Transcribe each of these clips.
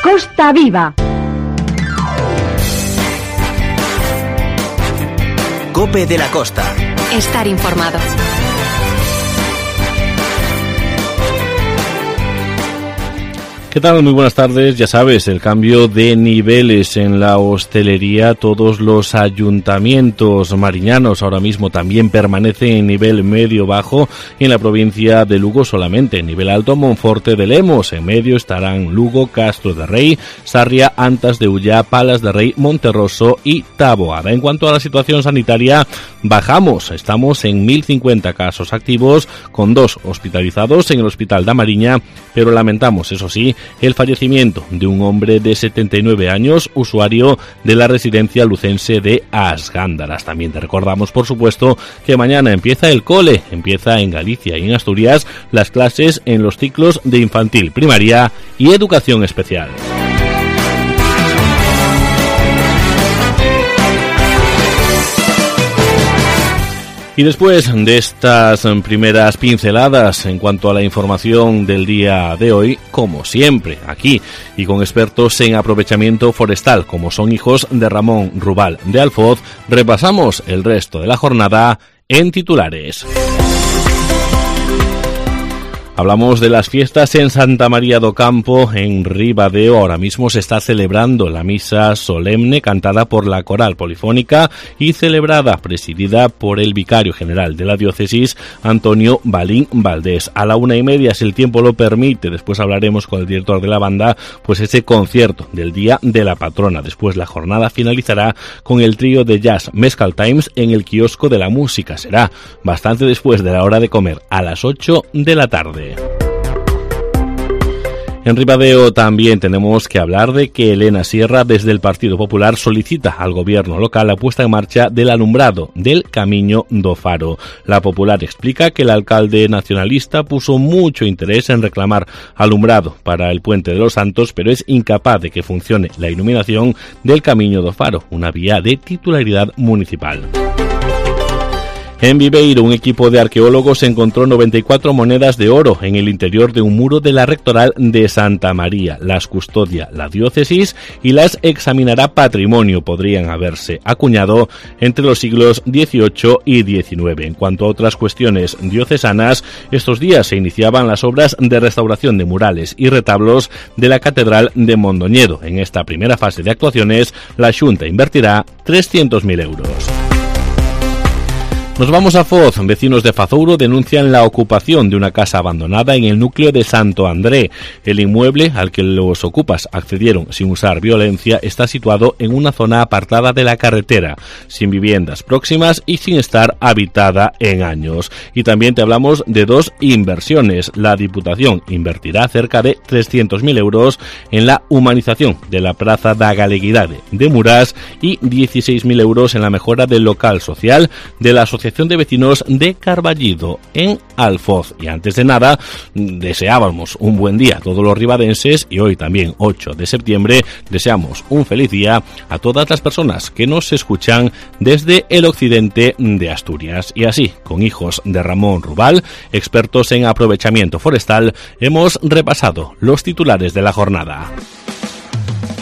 Costa Viva. COPE de la Costa. Estar informado. ¿Qué tal? Muy buenas tardes. Ya sabes, el cambio de niveles en la hostelería, todos los ayuntamientos mariñanos ahora mismo también permanecen en nivel medio-bajo. En la provincia de Lugo solamente en nivel alto Monforte de Lemos. En medio estarán Lugo, Castro de Rey, Sarria, Antas de Ullá, Palas de Rey, Monterroso y Taboada. En cuanto a la situación sanitaria, bajamos. Estamos en 1050 casos activos, con 2 hospitalizados en el Hospital da Mariña, pero lamentamos, eso sí, el fallecimiento de un hombre de 79 años, usuario de la residencia lucense de Asgándaras. También te recordamos, por supuesto, que mañana empieza el cole, empieza en Galicia y en Asturias las clases en los ciclos de infantil, primaria y educación especial. Y después de estas primeras pinceladas en cuanto a la información del día de hoy, como siempre, aquí y con expertos en aprovechamiento forestal, como son Hijos de Ramón Rubal de Alfoz, repasamos el resto de la jornada en titulares. Hablamos de las fiestas en Santa María do Campo, en Ribadeo. Ahora mismo se está celebrando la misa solemne cantada por la coral polifónica y celebrada, presidida por el vicario general de la diócesis, Antonio Balín Valdés. A la 1:30, si el tiempo lo permite, después hablaremos con el director de la banda, pues ese concierto del Día de la Patrona. Después la jornada finalizará con el trío de jazz Mescal Times en el kiosco de la música. Será bastante después de la hora de comer, a las 8 de la tarde. En Ribadeo también tenemos que hablar de que Elena Sierra, desde el Partido Popular, solicita al gobierno local la puesta en marcha del alumbrado del Camiño do Faro. La Popular explica que el alcalde nacionalista puso mucho interés en reclamar alumbrado para el Puente de los Santos, pero es incapaz de que funcione la iluminación del Camiño do Faro, una vía de titularidad municipal. En Viveiro, un equipo de arqueólogos encontró 94 monedas de oro en el interior de un muro de la Rectoral de Santa María. Las custodia la diócesis y las examinará Patrimonio. Podrían haberse acuñado entre los siglos XVIII y XIX. En cuanto a otras cuestiones diocesanas, estos días se iniciaban las obras de restauración de murales y retablos de la Catedral de Mondoñedo. En esta primera fase de actuaciones, la Xunta invertirá 300.000 euros. Nos vamos a Foz. Vecinos de Fazouro denuncian la ocupación de una casa abandonada en el núcleo de Santo André. El inmueble al que los ocupas accedieron sin usar violencia está situado en una zona apartada de la carretera, sin viviendas próximas y sin estar habitada en años. Y también te hablamos de 2 inversiones. La Diputación invertirá cerca de 300.000 euros en la humanización de la Praza da Galeguidade de Murás y 16.000 euros en la mejora del local social de la Asociación de Vecinos de Carballido en Alfoz. Y antes de nada, deseábamos un buen día a todos los ribadenses y hoy también 8 de septiembre deseamos un feliz día a todas las personas que nos escuchan desde el occidente de Asturias. Y así, con Hijos de Ramón Rubal, expertos en aprovechamiento forestal, hemos repasado los titulares de la jornada.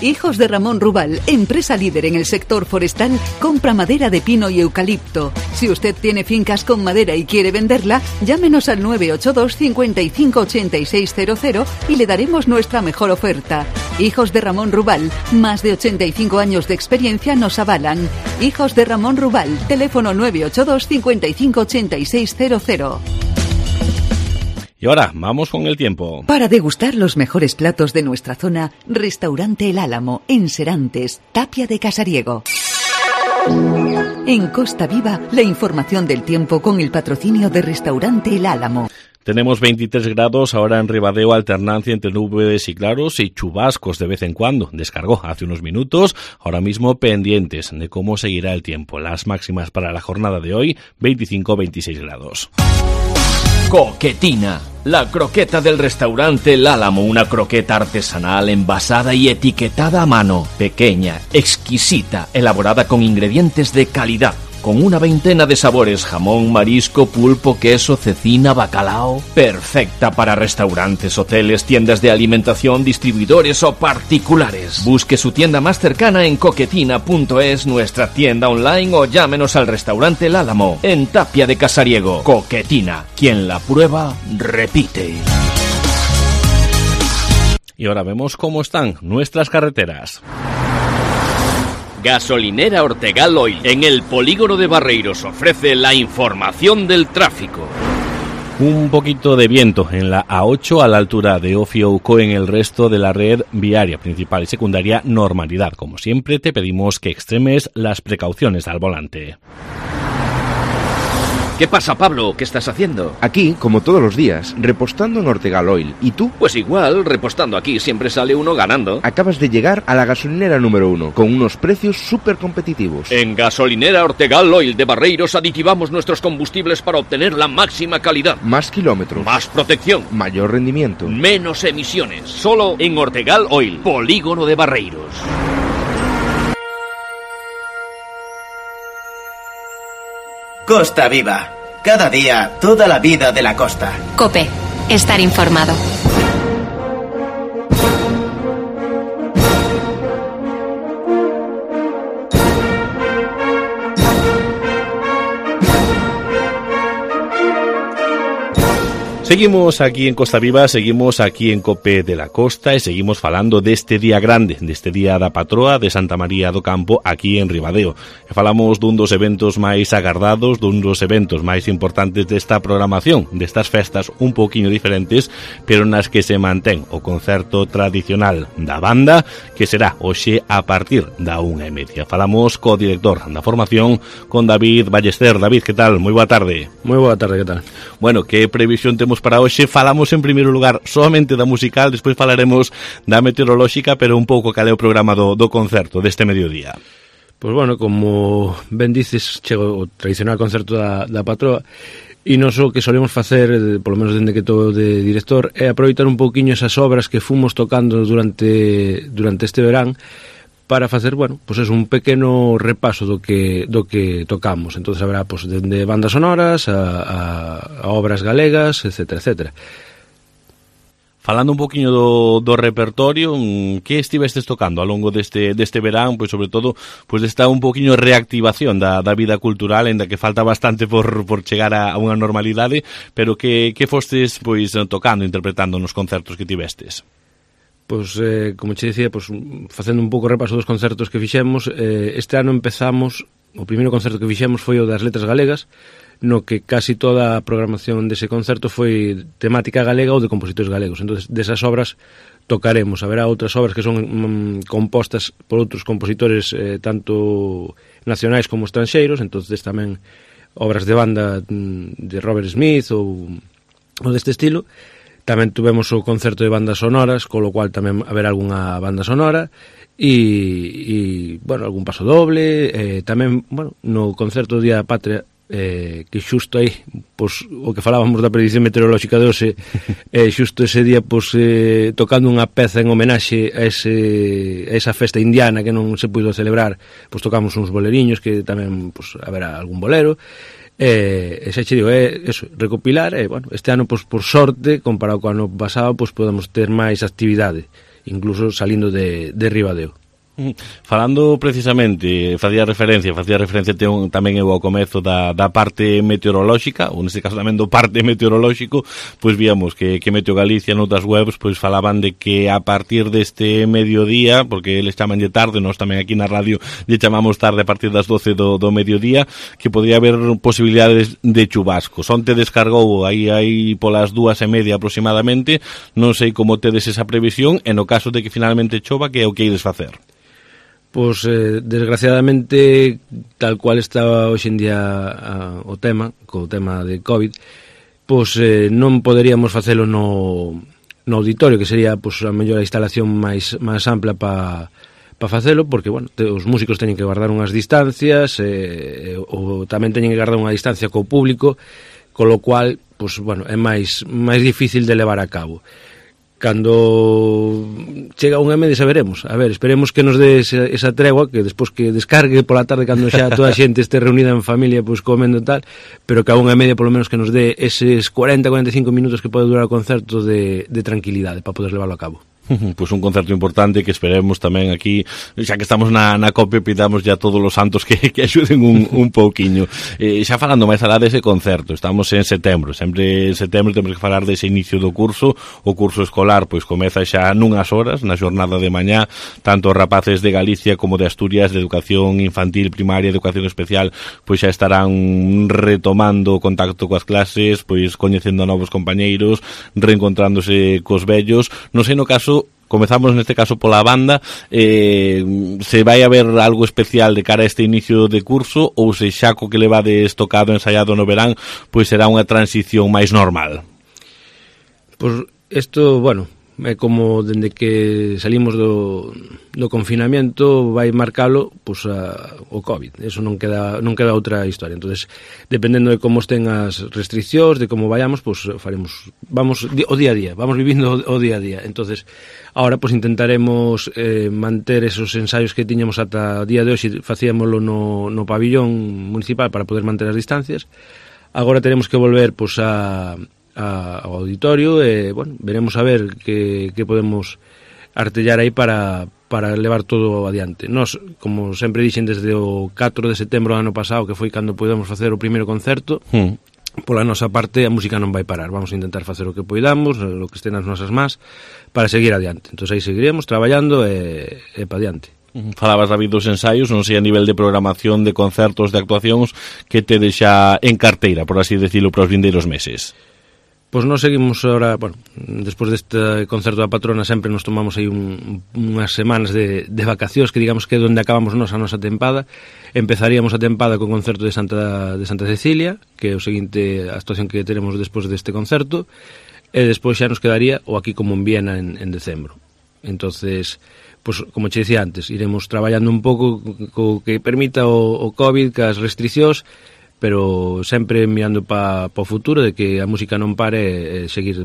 Hijos de Ramón Rubal, empresa líder en el sector forestal, compra madera de pino y eucalipto. Si usted tiene fincas con madera y quiere venderla, llámenos al 982 55 8600 y le daremos nuestra mejor oferta. Hijos de Ramón Rubal, más de 85 años de experiencia nos avalan. Hijos de Ramón Rubal, teléfono 982 55 8600. Y ahora, vamos con el tiempo. Para degustar los mejores platos de nuestra zona, Restaurante El Álamo, en Serantes, Tapia de Casariego. En Costa Viva, la información del tiempo con el patrocinio de Restaurante El Álamo. Tenemos 23 grados ahora en Ribadeo, alternancia entre nubes y claros y chubascos de vez en cuando. Descargó hace unos minutos, ahora mismo pendientes de cómo seguirá el tiempo. Las máximas para la jornada de hoy, 25-26 grados. Coquetina, la croqueta del restaurante El Álamo, una croqueta artesanal envasada y etiquetada a mano, pequeña, exquisita, elaborada con ingredientes de calidad, con una veintena de sabores: jamón, marisco, pulpo, queso, cecina, bacalao. Perfecta para restaurantes, hoteles, tiendas de alimentación, distribuidores o particulares. Busque su tienda más cercana en coquetina.es, nuestra tienda online, o llámenos al restaurante El Álamo, en Tapia de Casariego. Coquetina, quien la prueba, repite. Y ahora vemos cómo están nuestras carreteras. Gasolinera Ortegal Oil, en el polígono de Barreiros, ofrece la información del tráfico. Un poquito de viento en la A8 a la altura de Ofiouco. En el resto de la red viaria principal y secundaria, normalidad. Como siempre, te pedimos que extremes las precauciones al volante. ¿Qué pasa, Pablo? ¿Qué estás haciendo? Aquí, como todos los días, repostando en Ortegal Oil. ¿Y tú? Pues igual, repostando aquí siempre sale uno ganando. Acabas de llegar a la gasolinera número 1, con unos precios súper competitivos. En Gasolinera Ortegal Oil de Barreiros aditivamos nuestros combustibles para obtener la máxima calidad. Más kilómetros. Más protección. Mayor rendimiento. Menos emisiones. Solo en Ortegal Oil, polígono de Barreiros. Costa Viva. Cada día, toda la vida de la costa. COPE. Estar informado. Seguimos aquí en Costa Viva, seguimos aquí en COPE de la Costa e seguimos falando deste día grande, deste día da patroa de Santa María do Campo aquí en Ribadeo. E falamos dun dos eventos máis agardados, dun dos eventos máis importantes desta programación, destas festas un pouquiño diferentes, pero nas que se mantén o concerto tradicional da banda, que será hoxe a partir da 1:30. Falamos co director da formación, con David Ballester. David, que tal? Moi boa tarde. Moi boa tarde, que tal? Bueno, que previsión temos para hoxe? Falamos en primeiro lugar solamente da musical, despois falaremos da meteorolóxica, pero un pouco cal é o programa do concerto deste mediodía. Pois bueno, como ben dices, chega o tradicional concerto da patroa, e nos o que solemos facer, polo menos dende que estou de director, é aproveitar un pouquiño esas obras que fomos tocando durante este verán, para facer, bueno, pois é un pequeno repaso do que tocamos. Entonces haberá, pois, dende bandas sonoras a obras galegas, etcétera, etcétera. Falando un poquinho do repertorio, que estivestes tocando ao longo deste verán, pois sobre todo, pois desta un poquinho reactivación da vida cultural, ainda que falta bastante por chegar a unha normalidade, pero que fostes pois tocando, interpretando nos concertos que tivestes? Pois, como che dicía, pois, facendo un pouco repaso dos concertos que fixemos, este ano empezamos, o primeiro concerto que fixemos foi o das Letras Galegas, no que casi toda a programación dese concerto foi temática galega ou de compositores galegos. Entón, desas obras tocaremos. Haberá outras obras que son compostas por outros compositores tanto nacionais como estranxeiros, entón tamén obras de banda de Robert Smith ou deste estilo. Tamén tuvemos o concerto de bandas sonoras, con lo cual tamén haberá algunha banda sonora e bueno, algún paso doble, tamén, bueno, no concerto do Día da Patria, que xusto aí, pois, o que falábamos da predicción meteorolóxica de hoxe, xusto ese día, pois, tocando unha peza en homenaxe a esa festa indiana que non se puido celebrar, pois tocamos uns boleriños, que tamén, pois, haberá algún bolero. Xa che digo, eso, recopilar, bueno, este ano, pois, por sorte, comparado co ano pasado, pois podemos ter máis actividade, incluso salindo de Ribadeo. Falando precisamente, facía referencia tamén eu ao comezo da parte meteorolóxica, ou neste caso tamén do parte meteorolóxico, pois víamos que Meteo Galicia noutras webs pois falaban de que a partir deste mediodía, porque eles chamanlle tarde, nós tamén aquí na radio lle chamamos tarde a partir das 12 do mediodía, que podría haber posibilidades de chubascos. Onte descargou aí polas 2:30 aproximadamente, non sei como tedes esa previsión, e no caso de que finalmente chova, que é o que ides facer? Pois, desgraciadamente, tal cual está hoxe en día o tema, co tema de COVID, pois non poderíamos facelo no auditorio, que sería, pois, a mellor a instalación máis ampla para facelo, porque, bueno, os músicos teñen que guardar unhas distancias, ou tamén teñen que guardar unha distancia co público, con lo cual, pois, bueno, é máis difícil de levar a cabo. Cando chega unha media saberemos. A ver, esperemos que nos dé esa tregua, que despois que descargue pola tarde cando xa toda a xente este reunida en familia, pois comendo e tal, pero que a unha media polo menos que nos dé eses 40-45 minutos que pode durar o concerto de tranquilidade para poder levarlo a cabo. Pois un concerto importante que esperemos tamén aquí, xa que estamos na COPE, pidamos ya todos os santos que axuden un pouquiño. Xa falando máis alá dese concerto, estamos en setembro, sempre en setembro temos que falar dese inicio do curso. O curso escolar pois comeza xa nunhas horas, na xornada de mañá, tanto os rapaces de Galicia como de Asturias, de educación infantil, primaria, educación especial, pois xa estarán retomando o contacto coas clases, pois coñecendo a novos compañeiros, reencontrándose cos vellos. Non sei no caso, comezamos neste caso pola banda, se vai haber algo especial de cara a este inicio de curso, ou se xa co que levades tocado ensaiado no verán, pois será unha transición máis normal? Pois isto, bueno, é como dende que salimos do confinamento vai marcalo pois o COVID. Eso non queda outra historia. Entonces, dependendo de como estén as restriccións, de como vayamos, pois vamos o día a día, vamos vivindo o día a día. Entonces, ahora pois intentaremos manter esos ensaios que tiñamos ata o día de hoxe, facíamoslo no pabillón municipal para poder manter as distancias. Agora teremos que volver pois ao auditorio e, bueno, veremos a ver que podemos artellar aí para levar todo adiante. Nós, como sempre dixen, desde o 4 de setembro do ano pasado, que foi cando podemos facer o primeiro concerto, pola nosa parte a música non vai parar. Vamos a intentar facer o que poidamos, o que este nas nosas más, para seguir adiante. Entón aí seguiremos traballando e para adiante. Falabas, David, dos ensaios, non sei a nivel de programación, de concertos, de actuacións, que te deixa en carteira, por así decirlo, para os vindeiros meses. Pois nós seguimos ahora, bueno, despois deste concerto da patrona sempre nos tomamos aí unhas semanas de vacacións, que digamos que é onde acabamos a nosa tempada. Empezaríamos a tempada co concerto de Santa Cecilia, que é o seguinte actuación que teremos despois deste concerto, e despois xa nos quedaría o Aquí como en Viena en decembro. Entonces, pois, como che dicía antes, iremos traballando un pouco co que permita o COVID, cas restriccións, pero sempre mirando para o futuro, de que a música non pare e seguir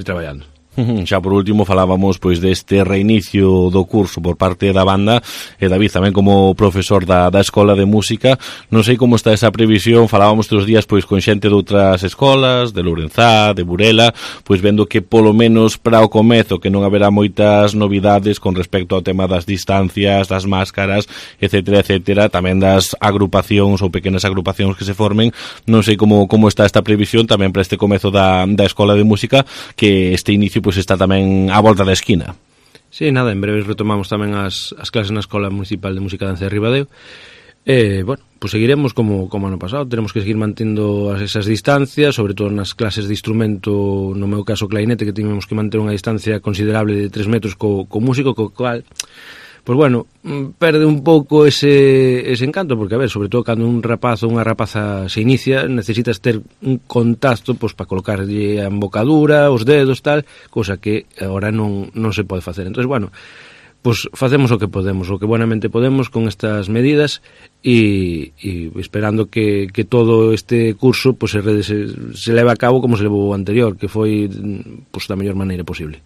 traballando. Xa por último falábamos pois deste reinicio do curso por parte da banda, e David tamén como profesor da Escola de Música, non sei como está esa previsión. Falábamos todos os días pois con xente de outras escolas, de Lourenzá, de Burela, pois vendo que polo menos para o comezo que non haberá moitas novidades con respecto ao tema das distancias, das máscaras, etcétera, etcétera, tamén das agrupacións ou pequenas agrupacións que se formen. Non sei como está esta previsión tamén para este comezo da Escola de Música, que este inicio pois está tamén á volta da esquina. Sí, nada, en breve retomamos tamén as clases na Escola Municipal de Música e Danza de Ribadeo. Bueno, pois seguiremos como ano pasado, teremos que seguir mantendo esas distancias, sobre todo nas clases de instrumento, no meu caso clarinete, que tivemos que manter unha distancia considerable de 3 metros co músico, co cual, pois bueno, perde un pouco ese encanto, porque, a ver, sobre todo cando un rapaz ou unha rapaza se inicia, necesitas ter un contacto pois para colocarlle a embocadura, os dedos, tal, cousa que agora non se pode facer. Entón, bueno, pois facemos o que podemos, o que buenamente podemos con estas medidas, e esperando que todo este curso pois se leve a cabo como se levou o anterior, que foi pois da mellor maneira posible.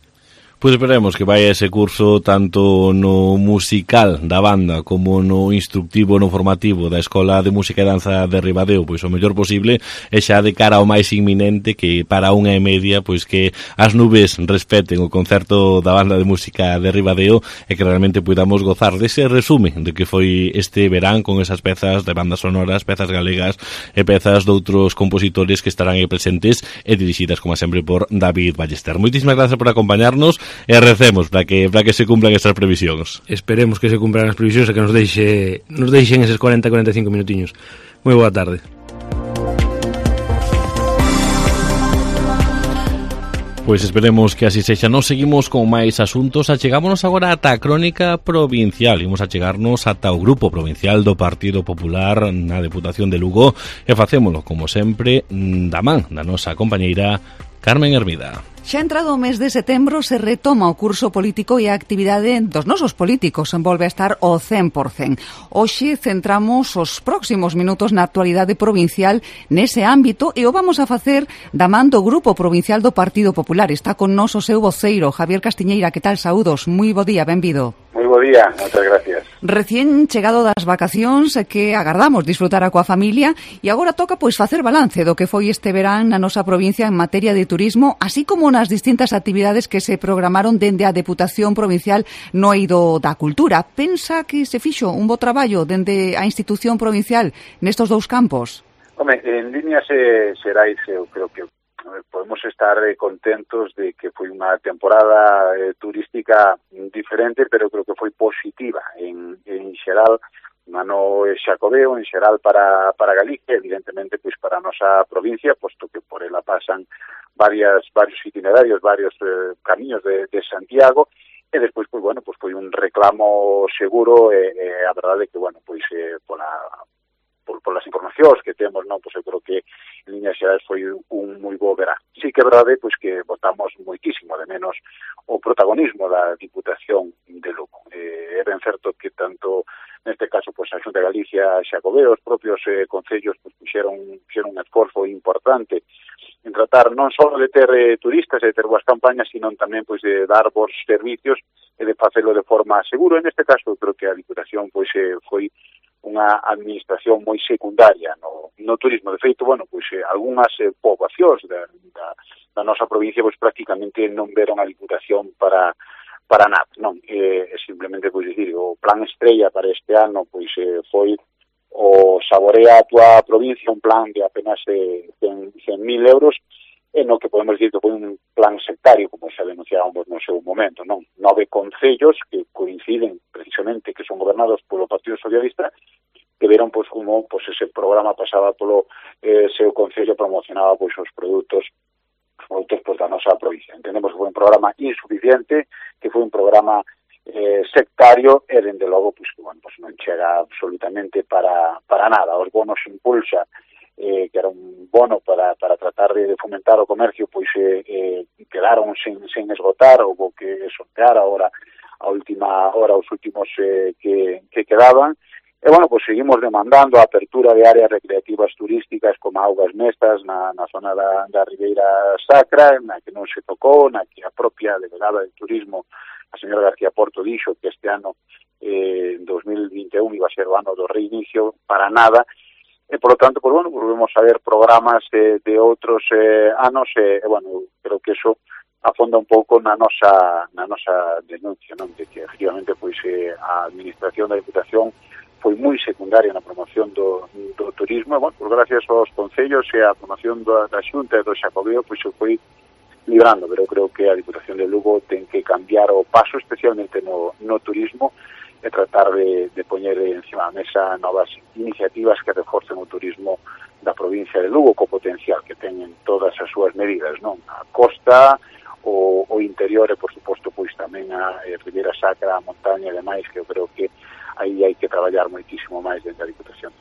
Pois esperemos que vai ese curso tanto no musical da banda como no instructivo, no formativo da Escola de Música e Danza de Ribadeo, pois o mellor posible, e xa de cara ao máis inminente, que para 1:30 pois que as nubes respeten o concerto da banda de música de Ribadeo, e que realmente podamos gozar dese resume de que foi este verán con esas pezas de bandas sonoras, pezas galegas e pezas de outros compositores que estarán aí presentes e dirixidas, como sempre, por David Ballester. Moitísimas gracias por acompañarnos, e recemos para que se cumplan estas previsións. Esperemos que se cumplan as previsións e que nos deixen eses 40-45 minutiños. Moi boa tarde. Pois esperemos que así sexa. Nos seguimos con máis asuntos. Achegámonos agora ata a crónica provincial. Imos achegarnos ata o grupo provincial do Partido Popular na Deputación de Lugo, e facémolo, como sempre, da man da nosa compañeira Carmen Hermida. Xa entrado o mes de setembro se retoma o curso político e a actividade dos nosos políticos volve a estar ao 100%. Hoxe centramos os próximos minutos na actualidade provincial nese ámbito e o vamos a facer da man do Grupo Provincial do Partido Popular. Está con nos o seu voceiro, Javier Castiñeira. Que tal? Saúdos. Moi bo día, benvido. Moi bo día, moitas gracias. Recién chegado das vacacións que agardamos disfrutar coa familia e agora toca pois facer balance do que foi este verán na nosa provincia en materia de turismo, así como nas distintas actividades que se programaron dende a Deputación Provincial no eido da Cultura. Pensa que se fixo un bo traballo dende a institución provincial nestos dous campos? Home, en líneas xerais, eu creo que podemos estar contentos de que foi unha temporada turística diferente, pero creo que foi positiva en xeral, un ano xacobeo, en xeral para Galicia, evidentemente pois para a nosa provincia, posto que por ela pasan varios itinerarios, varios camiños de Santiago, e despois, pois, bueno, pois foi un reclamo seguro, a verdade é que, bueno, pois polas informacións que temos, non, pois eu creo que en líneas xerais foi un moi bo verán. Sí que é verdade pois que votamos moitísimo de menos o protagonismo da Diputación de Lugo. É ben certo que tanto neste caso pois a Xunta de Galicia, Xacobeo, os propios concellos pois fixeron un esforzo importante en tratar non só de ter turistas e de ter boas campañas, sino tamén pois de dar bons servicios e de facelo de forma segura. En este caso, creo que a Diputación pois foi unha administración moi secundaria no turismo. De feito, bueno, pois algunhas poboacións da nosa provincia pois prácticamente non veron a Diputación para nada, non? Simplemente, pois dicir, o plan estrella para este ano pois foi o Saborea a túa provincia, un plan de apenas 100.000 euros, no que podemos dicir que foi un plan sectario, como xa denunciábamos no seu momento, non? 9 concellos que coinciden precisamente que son gobernados polo Partido Socialista, que veron pois como pois ese programa pasaba polo seu concello, promocionaba pois os produtos pois da nosa provincia. Entendemos que foi un programa insuficiente, que foi un programa sectario e, dende logo, pois que, bueno, pois non chega absolutamente para nada. Os bonos impulsa, que era un bono para tratar de fomentar o comercio, pois quedaron sen esgotar, houve que sortear agora a última hora os últimos que quedaban. E, bueno, pois seguimos demandando a apertura de áreas recreativas turísticas como Augas Mestas na zona da Ribeira Sacra, na que non se tocou, na que a propia delegada de turismo, a señora García Porto, dixo que este ano 2021 iba a ser o ano do reinicio, para nada. E, por lo tanto, pues, bueno, volvemos a ver programas de outros anos e, bueno, creo que eso afonda un pouco na nosa denuncia, non? De que, efectivamente, pois a administración da Diputación foi moi secundaria na promoción do turismo, e, bueno, pues, gracias aos concellos e a promoción da Xunta e do Xacobeo, pois se foi librando, pero creo que a Diputación de Lugo ten que cambiar o paso, especialmente no turismo, e tratar de poñer encima da mesa novas iniciativas que reforcen o turismo da provincia de Lugo, co potencial que teñen todas as súas medidas, non? A costa, o interior e, por suposto, pois tamén a Ribeira Sacra, a montaña e demais, que eu creo que aí hai que traballar moitísimo máis dentro da Diputación.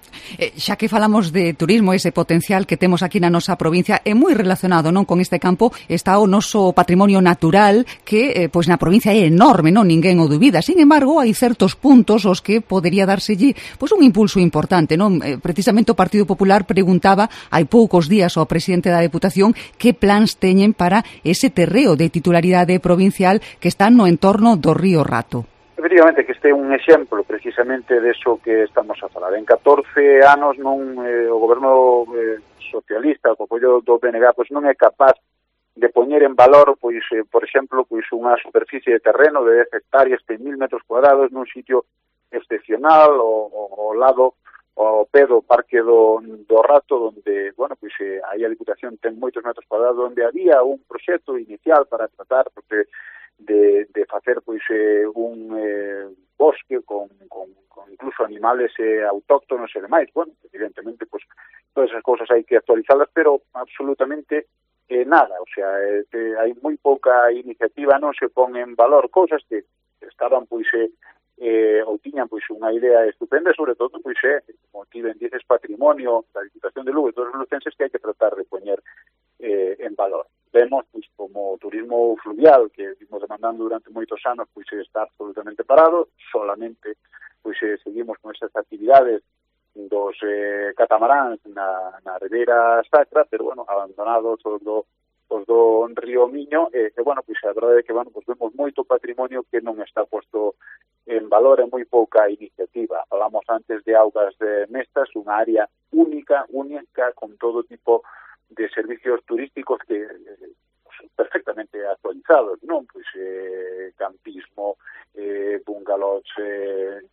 Xa que falamos de turismo, ese potencial que temos aquí na nosa provincia é moi relacionado, non, con este campo, está o noso patrimonio natural que pois na provincia é enorme, non, ninguén o dubida. Sin embargo, hai certos puntos os que podería dárselle pois un impulso importante, non? Precisamente o Partido Popular preguntaba hai poucos días ao presidente da Deputación que plans teñen para ese terreo de titularidade provincial que está no entorno do río Rato. Efectivamente, que este é un exemplo precisamente deso que estamos a falar. En 14 anos o goberno socialista, co apoio do PNG, pois non é capaz de poñer en valor, pois, por exemplo, pois unha superficie de terreno de 10 hectáreas, 100.000 metros cuadrados, nun sitio excepcional, ao lado, ao pé do Parque do Rato, onde, bueno, pois aí a Diputación ten moitos metros cuadrados, onde había un proxecto inicial para tratar de facer pois un bosque con incluso animales autóctonos e demais. Bueno, evidentemente, pois todas esas cousas hai que actualizalas, pero absolutamente nada, o sea, hai moi pouca iniciativa, non se pon en valor cousas que estaban pois ou tiñan pois unha idea estupenda, sobre todo pois como ti ben dices, patrimonio da Diputación de Lugo e todos os lucenses que hai que tratar de poñer en valor. vemos pois como o turismo fluvial que vimos demandando durante moitos anos pois está absolutamente parado, solamente pois seguimos con esas actividades dos catamaráns na Ribeira Sacra, pero bueno, abandonados os do Río Miño, bueno, pois a verdade é que, bueno, pois vemos moito patrimonio que non está posto en valor, é moi pouca iniciativa. Falamos antes de Augas de Mestas, unha área única, con todo tipo de servicios turísticos que perfectamente actualizados, non? Pois campismo, bungalows,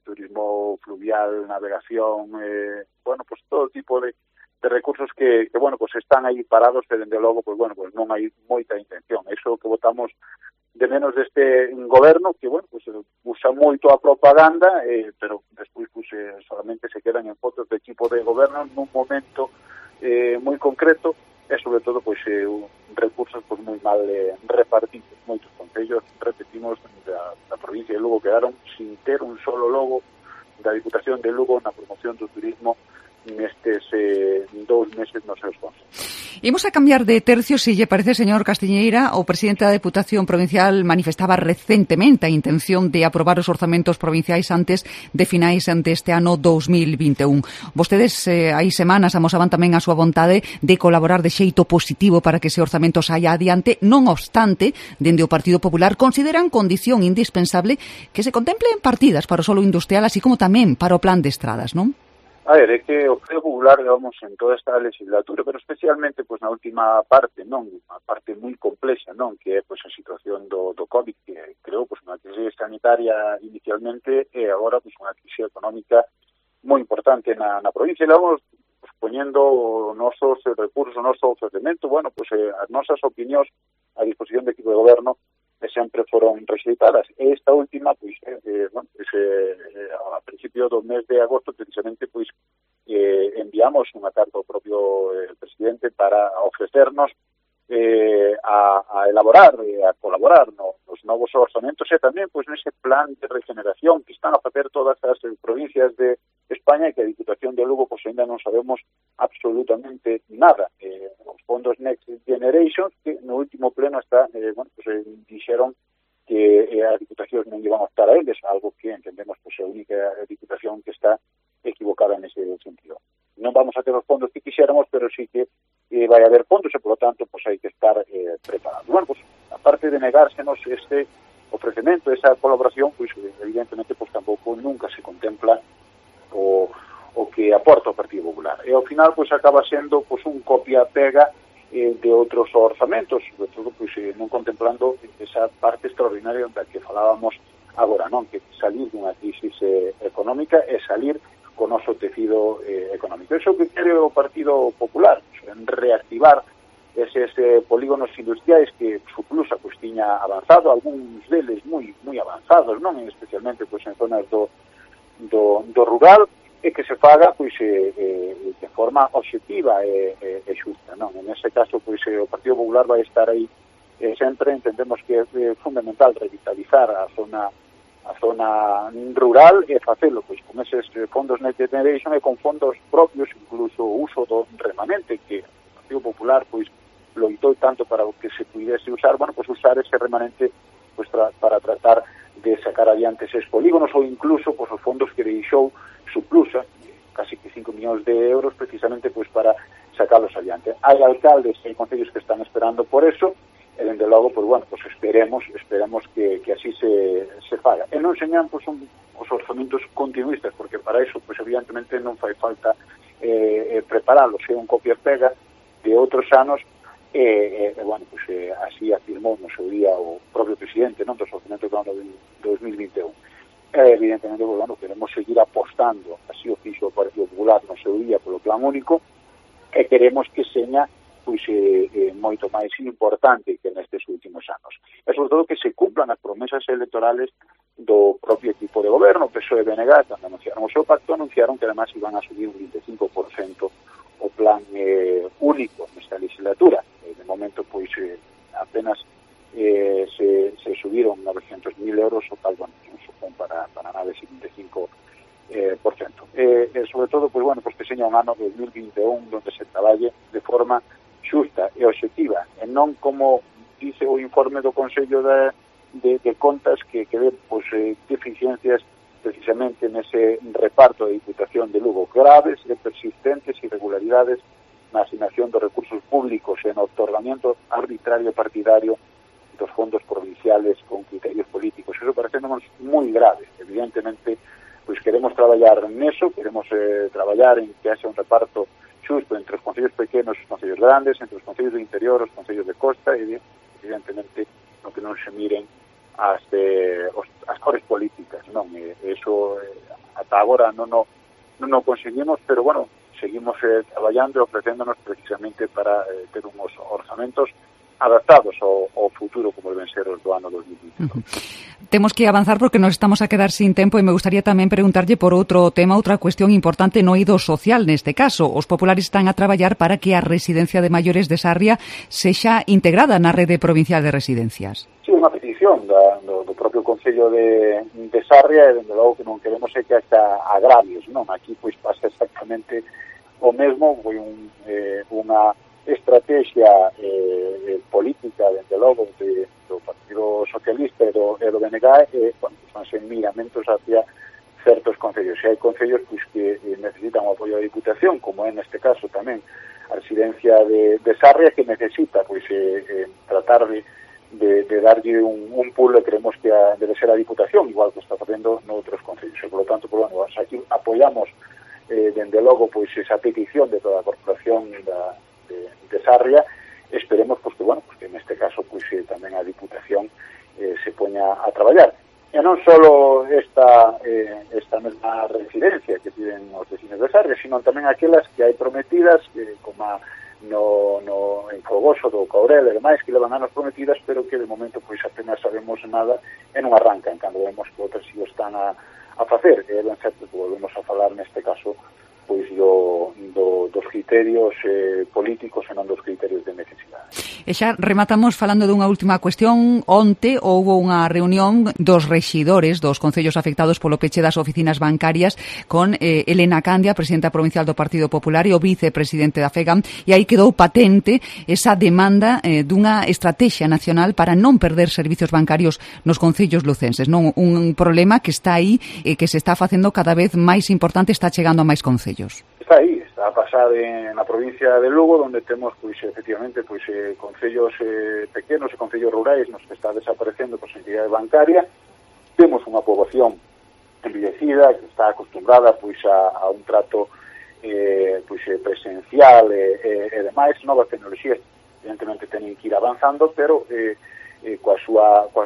turismo fluvial, navegación, bueno, pois todo tipo de recursos que bueno, pues están aí parados e dende logo, pues bueno, pues non hai moita intención. Iso que votamos de menos deste goberno que, bueno, pues usa moito a propaganda, pero despois pues solamente se quedan en fotos de equipo de goberno nun momento moi concreto e sobre todo pues recursos pues moi mal repartidos. Moitos concellos, repetimos, da provincia de Lugo quedaron sin ter un solo logo da Diputación de Lugo na promoción do turismo nestes 2 meses nos seus consellos. Imos a cambiar de tercio, se lle parece, señor Castiñeira. O presidente da Deputación Provincial manifestaba recentemente a intención de aprobar os orzamentos provinciais antes de finais deste ano 2021. Vostedes hai semanas amosaban tamén a súa vontade de colaborar de xeito positivo para que ese orzamento saia adiante. Non obstante, dende o Partido Popular consideran condición indispensable que se contemplen partidas para o solo industrial, así como tamén para o plan de estradas, non? A ver, é que o Partido Popular, digamos, en toda esta legislatura, pero especialmente pues, na última parte, non? Unha parte moi complexa, non? Que é pues, a situación do COVID, que creou pues, unha crise sanitaria inicialmente e agora pues, unha crise económica moi importante na provincia. E vamos pues, poñendo os nosos recursos, o noso ofrecemento, bueno, pues, as nosas opinións a disposición do equipo de goberno que sempre foron rexeitadas. E esta última, pois, bueno, pues, a principio do mes de agosto, precisamente, pois, enviamos unha carta ao propio presidente para ofrecernos a elaborar, a colaborar nos novos orzamentos e tamén, pois, nese plan de regeneración que están a facer todas as provincias de España e que a Diputación de Lugo, pois, ainda non sabemos absolutamente nada. Os fondos Next Generation, que no último pleno está, bueno, pues dixeron que as diputacións non iban a optar a eles, algo que entendemos pues, a única diputación que está equivocada nese sentido. Non vamos a ter os fondos que quixéramos, pero sí que vai haber fondos e, por lo tanto, pues, hai que estar preparados. Bueno, pues, aparte de negársenos este ofrecemento, esa colaboración, pues, evidentemente, pues, tampouco nunca se contempla o que aporta o Partido Popular. E ao final, pues, acaba sendo pues, un copia-pega de outros orzamentos, sobre todo pues, non contemplando esa parte extraordinaria da que falábamos agora, non? Que salir dunha crisis económica e salir con o noso tecido económico. Iso que quere o Partido Popular, reactivar eses polígonos industriais que su plusa pues, tiña avanzado, algúns deles moi avanzados, non? Especialmente pues, en zonas do rural, e que se faga pois de forma obxectiva e xusta, non? En ese caso, pois o Partido Popular vai estar aí sempre. Entendemos que é fundamental revitalizar a zona rural e facelo pois con eses fondos Next Generation e con fondos propios, incluso o uso do remanente que o Partido Popular pois loitou tanto para que se pudiese usar, bueno, pois usar ese remanente pois para tratar de sacar adiante eses polígonos ou incluso pois os fondos que deixou Suplusa, casi que 5 millóns de euros precisamente pois para sacarlos adiante. Hai alcaldes e concellos que están esperando por eso e dende logo, pois bueno, pois esperemos que así se faga. E non señan pois os orzamentos continuistas, porque para eso pois evidentemente non fai falta preparalos, é un copia e pega de outros anos e bueno, pois así afirmou no seu día o propio presidente, non, dos orzamentos do ano 2021. Evidentemente, bueno, queremos seguir apostando, así o fixo o Partido Popular no seu día polo plan único, e queremos que seña pois moito máis importante que nestes últimos anos. E sobre todo que se cumplan as promesas electorales do propio equipo de goberno. PSOE e BNG, cando anunciaron o seu pacto, anunciaron que además iban a subir un 25% o plan único nesta legislatura. De momento, pois, apenas se subiron 900.000 euros, o tal, bueno, supón para nada ese 25%. Sobre todo, pues bueno, pues que seña un ano 2021 donde se traballe de forma xusta e obxectiva, e non como dice o informe do Consello de Contas que ve pois, deficiencias precisamente nese reparto da Diputación de Lugo, graves e persistentes irregularidades na asignación dos recursos públicos e no otorgamiento arbitrario partidario dos fondos provinciales con criterios políticos. Eso parecéndonos moi grave. Evidentemente, pois queremos traballar neso, queremos traballar en que haxa un reparto xusto entre os concellos pequenos e os concellos grandes, entre os concellos do interior, os concellos de costa, e evidentemente no que non se miren as cores políticas, non? Eso ata agora non o conseguimos, pero bueno, seguimos traballando e ofrecéndonos precisamente para ter unhos orzamentos adaptados ao futuro como deben ser os do ano 2020. Temos que avanzar porque nos estamos a quedar sin tempo e me gustaría tamén preguntarlle por outro tema, outra cuestión importante no eido social neste caso. Os populares están a traballar para que a residencia de maiores de Sarria sexa integrada na rede provincial de residencias. Sí, unha petición do propio Concello de Sarria e, dende logo, que non queremos é que haxa agravios, non? Aquí, pois, pasa exactamente o mesmo, foi unha estrategia política, dende logo, do Partido Socialista e do BNG, son sen miramentos hacia certos concellos. E hai concellos pois, que necesitan o apoio da Diputación, como é neste caso tamén a residencia de Sarria, que necesita pois, tratar de darlle un pulo, e creemos que debe ser a Diputación, igual que está facendo noutros concellos. E, por lo tanto, pues, bueno, aquí apoiamos dende logo pois, esa petición de toda a corporación de Sarria. Esperemos pues, que, bueno, pues, que neste caso pues, tamén a Diputación se poña a traballar. E non só esta mesma residencia que piden os vecinos de Sarria, sino tamén aquelas que hai prometidas, como en Fogoso do Caurel e demais, que levan anos prometidas, pero que de momento pois apenas sabemos nada e non arrancan, cando vemos que outras si o están a facer. É ben certo que volvemos a falar neste caso pois dos criterios políticos e non dos criterios de necesidade. E xa rematamos falando dunha última cuestión. Onte houbo unha reunión dos rexidores dos concellos afectados polo peche das oficinas bancarias con Elena Candia, presidenta provincial do Partido Popular, e o vicepresidente da FEGAM, e aí quedou patente esa demanda dunha estrategia nacional para non perder servizos bancarios nos concellos lucenses, non? Un problema que está aí e que se está facendo cada vez máis importante, está chegando a máis concellos. Está aí, está a pasar na provincia de Lugo, onde temos, pois, efectivamente, pois, concellos pequenos e concellos rurais nos que está desaparecendo por entidade bancaria. Temos unha poboación envellecida que está acostumbrada, pois, a un trato pois, presencial e demais. Novas tecnoloxías, evidentemente, teñen que ir avanzando, pero coa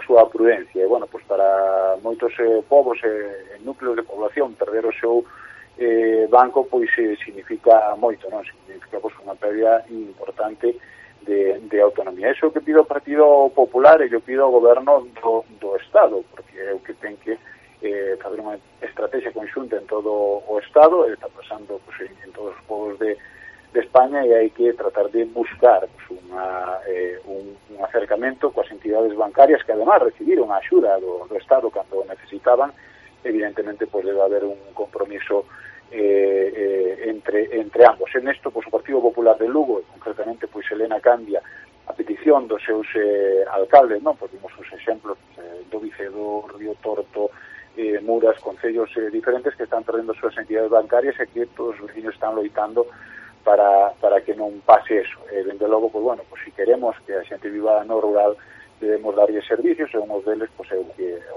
súa prudencia. E, bueno, pois, para moitos povos e núcleos de población perder o seu banco pois significa moito, non? Significa pois unha pérdida importante de autonomía. Eso que pido ao Partido Popular e eu pido ao goberno do Estado, porque é o que ten que fazer unha estrategia conxunta en todo o Estado, está pasando pois, en todos os povos de España, e hai que tratar de buscar pois, un acercamento coas entidades bancarias que además recibiron a axuda do Estado cando necesitaban. Evidentemente, pues debe haber un compromiso entre ambos. En esto, pues o Partido Popular de Lugo, e concretamente, pues Elena Candia, a petición dos seus alcaldes, non? Pues vimos os exemplos do Vicedo, Río Torto, Muras, concellos diferentes que están perdendo as súas entidades bancarias, e que todos os vecinos están loitando para que non pase eso. Dende logo, pues bueno, pues si queremos que a xente viva no rural, debemos darlle servicios, e unhos deles pues, é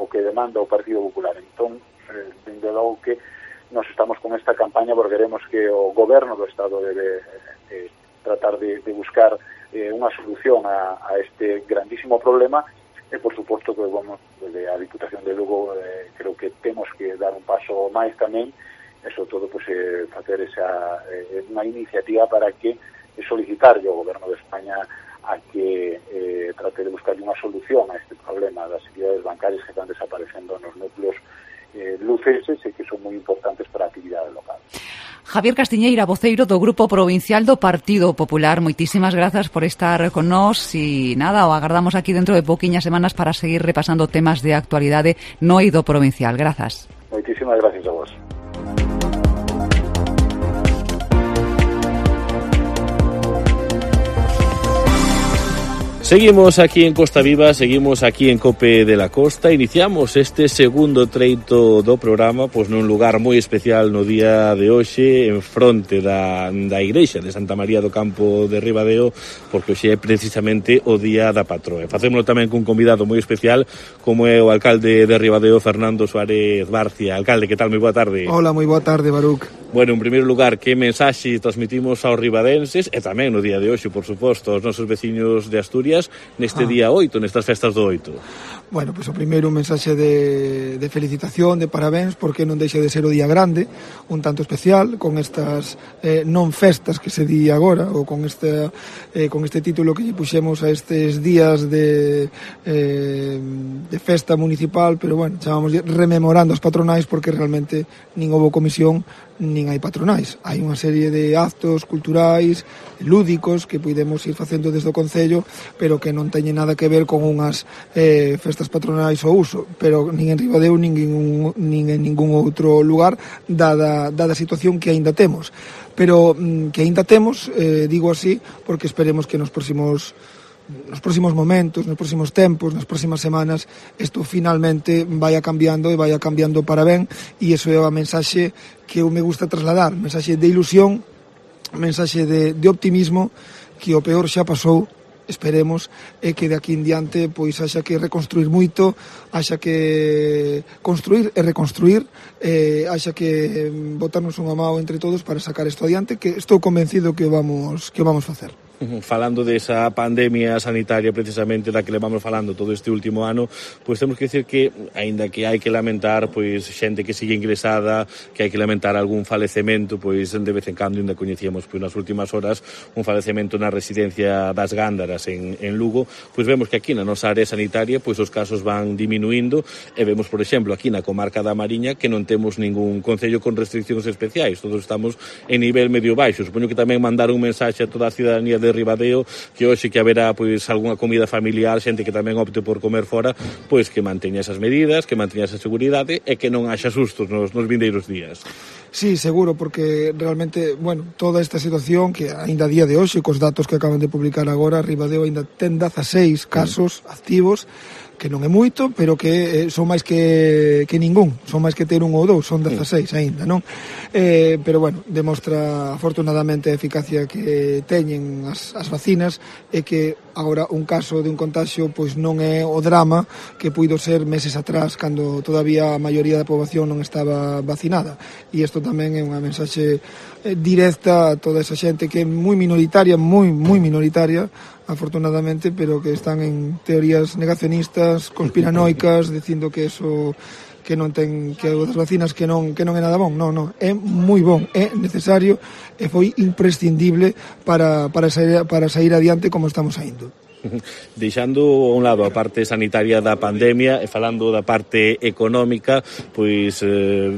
o que demanda o Partido Popular. Entón, dende logo que nos estamos con esta campaña porque queremos que o goberno do Estado debe tratar de buscar unha solución a este grandísimo problema, e por suposto que vamos, desde a Diputación de Lugo creo que temos que dar un paso máis tamén, e sobre todo pues, facer unha iniciativa para que solicitarlle ao goberno de España a que trate de buscar unha solución a este problema das entidades bancarias que están desaparecendo nos núcleos lucenses e que son moi importantes para a actividade local. Javier Castiñeira, voceiro do Grupo Provincial do Partido Popular, moitísimas grazas por estar con nós, e nada, o agardamos aquí dentro de pouquiñas semanas para seguir repasando temas de actualidade no eido provincial. Grazas. Moitísimas gracias a vos. Seguimos aquí en Costa Viva, seguimos aquí en Cope de la Costa. Iniciamos este segundo treito do programa pois nun lugar moi especial no día de hoxe, en fronte da igrexa de Santa María do Campo de Ribadeo, porque hoxe é precisamente o día da patroa. Facémolo tamén cun convidado moi especial como é o alcalde de Ribadeo, Fernando Suárez Barcia. Alcalde, que tal? Moi boa tarde. Hola, moi boa tarde, Baruc. Bueno, en primeiro lugar, que mensaxe transmitimos aos ribadenses e tamén no día de hoxe, por suposto, aos nosos veciños de Asturias neste día 8, nestas festas do 8? Bueno, pois o primeiro un mensaxe de felicitación, de parabéns, porque non deixa de ser o día grande, un tanto especial, con estas non festas que se di agora, ou con este título que lle puxemos a estes días de festa municipal, pero bueno, chamamos rememorando as patronais, porque realmente nin houve comisión nin hai patronais. Hai unha serie de actos culturais, lúdicos, que podemos ir facendo desde o Concello, pero que non teñen nada que ver con unhas festas patronais ao uso, pero nin en Ribadeo nin en ningún outro lugar, dada a situación que aínda temos. Pero que aínda temos, digo así, porque esperemos que nos próximos momentos, nos próximos tempos, nas próximas semanas, isto finalmente vaya cambiando e vaya cambiando para ben, e iso é a mensaxe que eu me gusta trasladar, mensaxe de ilusión, mensaxe de optimismo, que o peor xa pasou, esperemos, e que de aquí en diante pois haxa que reconstruir moito, haxa que construir e reconstruir, haxa que botarnos unha mão entre todos para sacar isto adiante, que estou convencido que vamos facer. Falando desa pandemia sanitaria precisamente da que levamos falando todo este último ano, pois temos que dicir que, aínda que hai que lamentar pois xente que sigue ingresada, que hai que lamentar algún falecemento, pois de vez en cando ainda coñecíamos pois nas últimas horas un falecemento na residencia das Gándaras en Lugo, pois vemos que aquí na nosa área sanitaria pois os casos van diminuindo e vemos, por exemplo, aquí na comarca da Mariña que non temos ningún concello con restriccións especiais, todos estamos en nivel medio baixo. Supoño que tamén mandar un mensaxe a toda a cidadanía de Ribadeo, que hoxe que haberá pois algunha comida familiar, xente que tamén opte por comer fora, pois que manteña esas medidas, que manteña esa seguridade e que non haxa sustos nos vindeiros días. Sí, seguro, porque realmente, bueno, toda esta situación que aínda a día de hoxe, cos datos que acaban de publicar agora, Ribadeo aínda ten 16 casos activos, que non é moito, pero que son máis que ningún, son máis que ter un ou dous, son 16 aínda, non? Pero bueno, demostra afortunadamente a eficacia que teñen as vacinas e que agora un caso de un contagio pois non é o drama que puido ser meses atrás cando todavía a maioría da poboación non estaba vacinada, e isto tamén é unha mensaxe directa a toda esa xente que é moi minoritaria, moi minoritaria, afortunadamente, pero que están en teorías negacionistas, conspiranoicas, dicindo que eso que non ten, que as vacinas que non é nada bon. Non, é moi bon, é necesario e foi imprescindible para sair adiante como estamos saindo. Deixando a un lado a parte sanitaria da pandemia e falando da parte económica, pois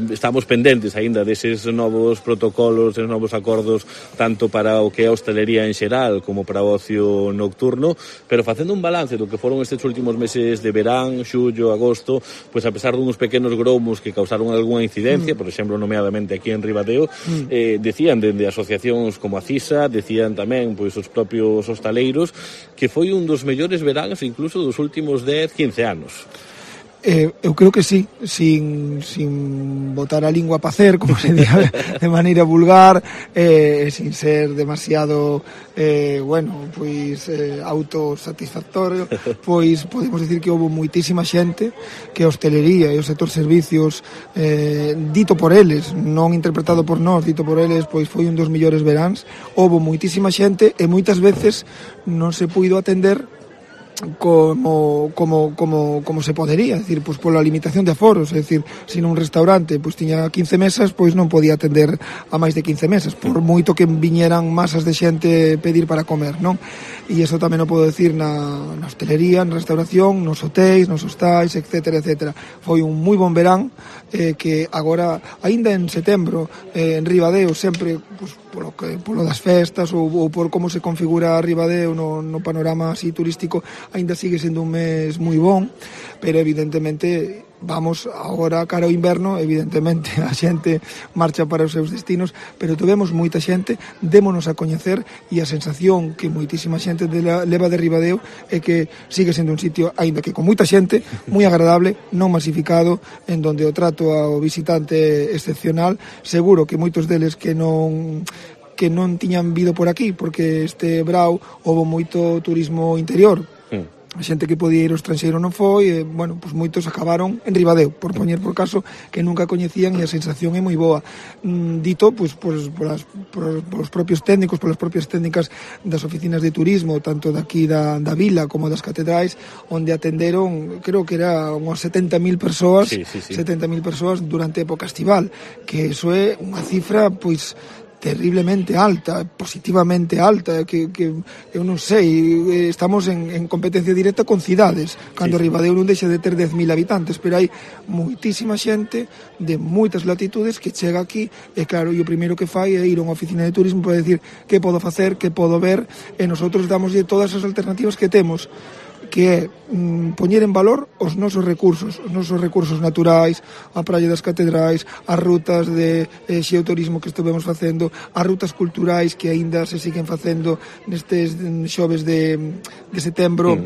estamos pendentes aínda deses novos protocolos, deses novos acordos, tanto para o que é a hostelería en xeral como para o ocio nocturno, pero facendo un balance do que foron estes últimos meses de verán, xullo, agosto, pois a pesar duns pequenos gromos que causaron algunha incidencia, por exemplo, nomeadamente aquí en Ribadeo, decían dende asociacións como a CISA, decían tamén pois os propios hostaleiros que foi un dos mellores veráns incluso dos últimos 10-15 anos. Eu creo que sí, sin botar a lingua a pacer, como se di de maneira vulgar, sin ser demasiado autosatisfactorio, pois podemos dicir que houve moitísima xente que a hostelería e o sector servicios, dito por eles, non interpretado por nós, dito por eles, pois foi un dos mellores veráns. Houve moitísima xente e moitas veces non se puido atender como se podería, é dicir, pois pola limitación de aforos, é dicir, se nun restaurante pois tiña 15 mesas, pois non podía atender a máis de 15 mesas, por moito que viñeran masas de xente pedir para comer, non? E iso tamén o podo decir na hostelería, na restauración, nos hotéis, nos hostais, etcétera. Foi un moi bon verán, que agora, aínda en setembro, en Ribadeo, sempre pois, polo das festas ou por como se configura Ribadeo no panorama así turístico, aínda sigue sendo un mes moi bon, pero evidentemente vamos agora cara ao inverno, evidentemente a xente marcha para os seus destinos, pero tuvemos moita xente, démonos a coñecer, e a sensación que moitísima xente leva de Ribadeo é que sigue sendo un sitio, aínda que con moita xente, moi agradable, non masificado, en donde o trato ao visitante é excepcional. Seguro que moitos deles que non tiñan vido por aquí, porque este brao houve moito turismo interior, a xente que podía ir ao estranxeiro non foi, bueno, pois moitos acabaron en Ribadeo, por poñer por caso que nunca coñecían, e a sensación é moi boa. Dito, pois, polos propios técnicos, polas propias técnicas das oficinas de turismo, tanto daqui da vila como das catedrais, onde atenderon, creo que era unhas 70.000 persoas, 70.000 persoas durante a época estival, que eso é unha cifra, pois, terriblemente alta, positivamente alta, que eu non sei, estamos en competencia directa con cidades, cando Ribadeo non deixa de ter 10.000 habitantes, pero hai moitísima xente de moitas latitudes que chega aquí, e claro, e o primeiro que fai é ir a unha oficina de turismo para decir que podo facer, que podo ver, e nosotros damoslle todas as alternativas que temos, que é poñer en valor os nosos recursos naturais, a praia das catedrais, as rutas de xeoturismo que estuvemos facendo, as rutas culturais que aínda se siguen facendo nestes xoves de setembro,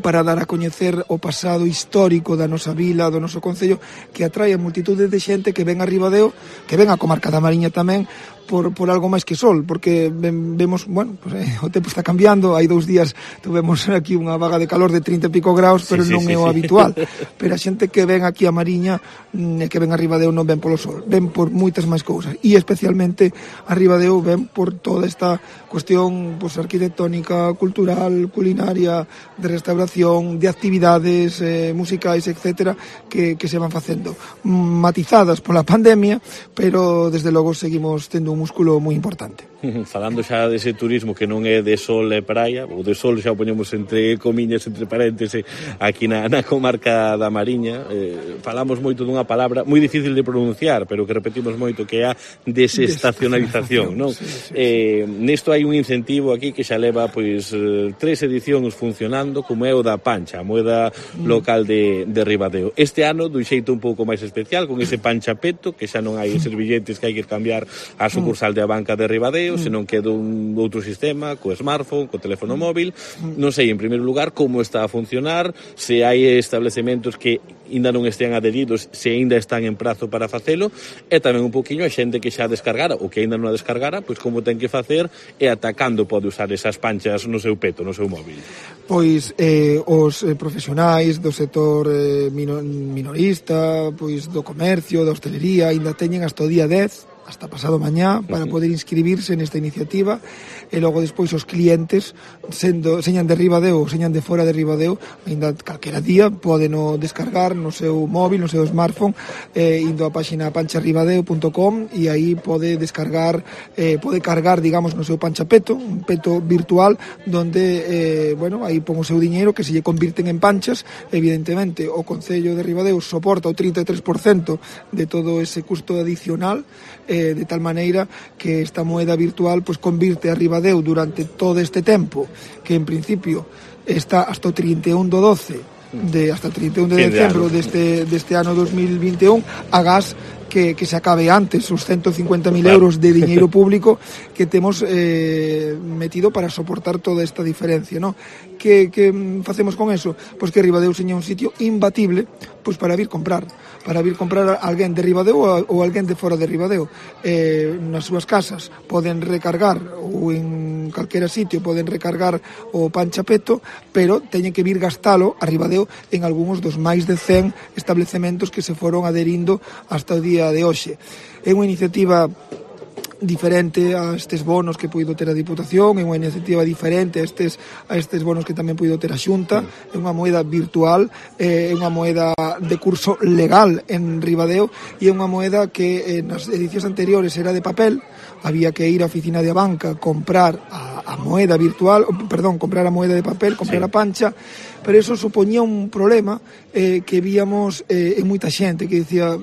para dar a coñecer o pasado histórico da nosa vila, do noso concello, que atrae a multitude de xente que ven a Ribadeo, que ven a comarca da Mariña tamén, por algo máis que sol, porque vemos, bueno, pues, o tempo está cambiando. Hai 2 días tuvemos aquí unha vaga de calor de 30 e pico graus, pero non é o habitual. Pero a xente que ven aquí a Mariña e que ven a Ribadeo non ven polo sol, ven por moitas máis cousas, e especialmente a Ribadeo ven por toda esta cuestión, pues, arquitectónica, cultural, culinaria, de restauración, de actividades musicais, etcétera, que se van facendo, matizadas pola pandemia, pero desde logo seguimos tendo un músculo moi importante. Falando xa dese turismo que non é de sol e praia, ou de sol xa o poñemos entre comiñas, entre parénteses, aquí na comarca da Mariña, falamos moito dunha palabra moi difícil de pronunciar, pero que repetimos moito, que é a desestacionalización, non? Nisto hai un incentivo aquí que xa leva, pois, 3 edicións funcionando, como é o da Pancha, a moeda local de Ribadeo. Este ano, dun xeito un pouco máis especial, con ese panchapeto, que xa non hai eses billetes que hai que cambiar a sucursal de a banca de Ribadeo, senón que dun outro sistema, co smartphone, co teléfono móvil. Non sei, en primeiro lugar, como está a funcionar, se hai establecementos que ainda non estean adheridos, se ainda están en prazo para facelo, e tamén un poquinho a xente que xa descargara ou que ainda non a descargara, pois como ten que facer e atacando pode usar esas panchas no seu peto, no seu móvil. Pois os profesionais do sector minorista, pois do comercio, da hostelería, ainda teñen hasta o día 10, hasta pasado mañá, para poder inscribirse nesta iniciativa, e logo despois os clientes, señan de Ribadeo ou señan de fora de Ribadeo, ainda calquera día poden descargar no seu móvil, no seu smartphone, indo á páxina pancharribadeo.com, e aí pode descargar, pode cargar, digamos, no seu panchapeto, un peto virtual, donde, bueno, aí pon o seu diñeiro, que se lle convirten en panchas. Evidentemente, o Concello de Ribadeo soporta o 33% de todo ese custo adicional, de tal maneira que esta moeda virtual pues convirte a Ribadeo durante todo este tempo, que en principio está hasta o 31 do 12 hasta o 31 de decembro deste ano 2021, agás que se acabe antes os 150.000 euros de diñeiro público que temos metido para soportar toda esta diferencia, ¿no? Que facemos con eso? Pois que Ribadeo seña un sitio imbatible, pois para vir comprar alguén de Ribadeo ou alguén de fora de Ribadeo. Nas súas casas poden recargar, ou en calquera sitio poden recargar o panchapeto, pero teñen que vir gastalo a Ribadeo en algúns dos máis de 100 establecementos que se foron adherindo hasta o día de hoxe. É unha iniciativa diferente a estes bonos que puido ter a Diputación, é unha iniciativa diferente a estes bonos que tamén puido ter a Xunta. É unha moeda virtual, é unha moeda de curso legal en Ribadeo, e é unha moeda que nas edicións anteriores era de papel, había que ir á oficina de banca, comprar a moeda virtual, comprar a moeda de papel, comprar a pancha, pero eso supoñía un problema que víamos en moita xente que dicía: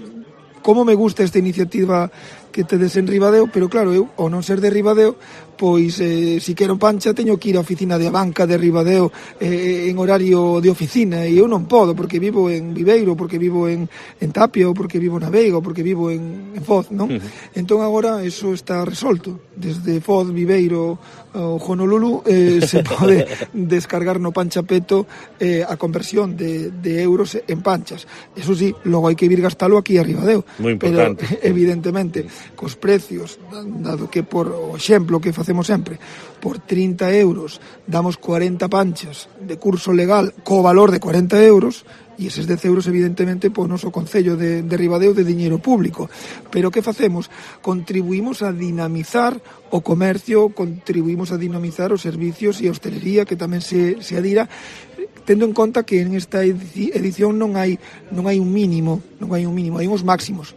como me gusta esta iniciativa que tedes en Ribadeo, pero claro, eu, ao non ser de Ribadeo, pois si quero pancha teño que ir á oficina de Abanca de Ribadeo en horario de oficina, e eu non podo porque vivo en Viveiro, porque vivo en Tapia, ou porque vivo na Veiga, ou porque vivo en Foz, non? Entón agora eso está resolto. Desde Foz, Viveiro ou Honolulu se pode descargar no Panchapeto a conversión de euros en panchas. Eso sí, logo hai que vir gastalo aquí a Ribadeo. Moi importante. Pero evidentemente, cos precios, dado que por o exemplo que facemos sempre, por 30 euros damos 40 panchas de curso legal co valor de 40 euros, e eses 10 euros evidentemente po noso Concello de Ribadeo de diñeiro público. Pero que facemos? Contribuímos a dinamizar o comercio, contribuímos a dinamizar os servicios e a hostelería, que tamén se adira, tendo en conta que en esta edición non hai un mínimo, hai uns máximos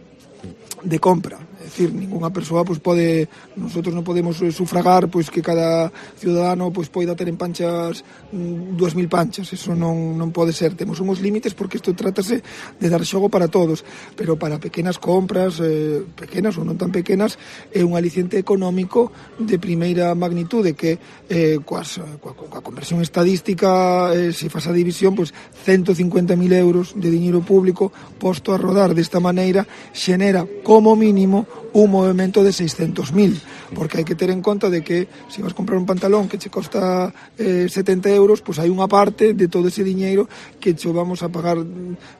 de compra. É dicir, ninguna persoa pois pode, nosotros non podemos sufragar pois que cada ciudadano pois poida ter en panchas 2.000 panchas, eso non pode ser. Temos uns límites porque isto trátase de dar xogo para todos, pero para pequenas compras, pequenas ou non tan pequenas, é un aliciente económico de primeira magnitude que coa conversión estadística, se faz a división, pois 150.000 euros de diñeiro público posto a rodar desta maneira xenera como mínimo un movimento de 600.000, porque hai que ter en conta de que se vas comprar un pantalón que che costa 70 euros, pois hai unha parte de todo ese diñeiro que che vamos a pagar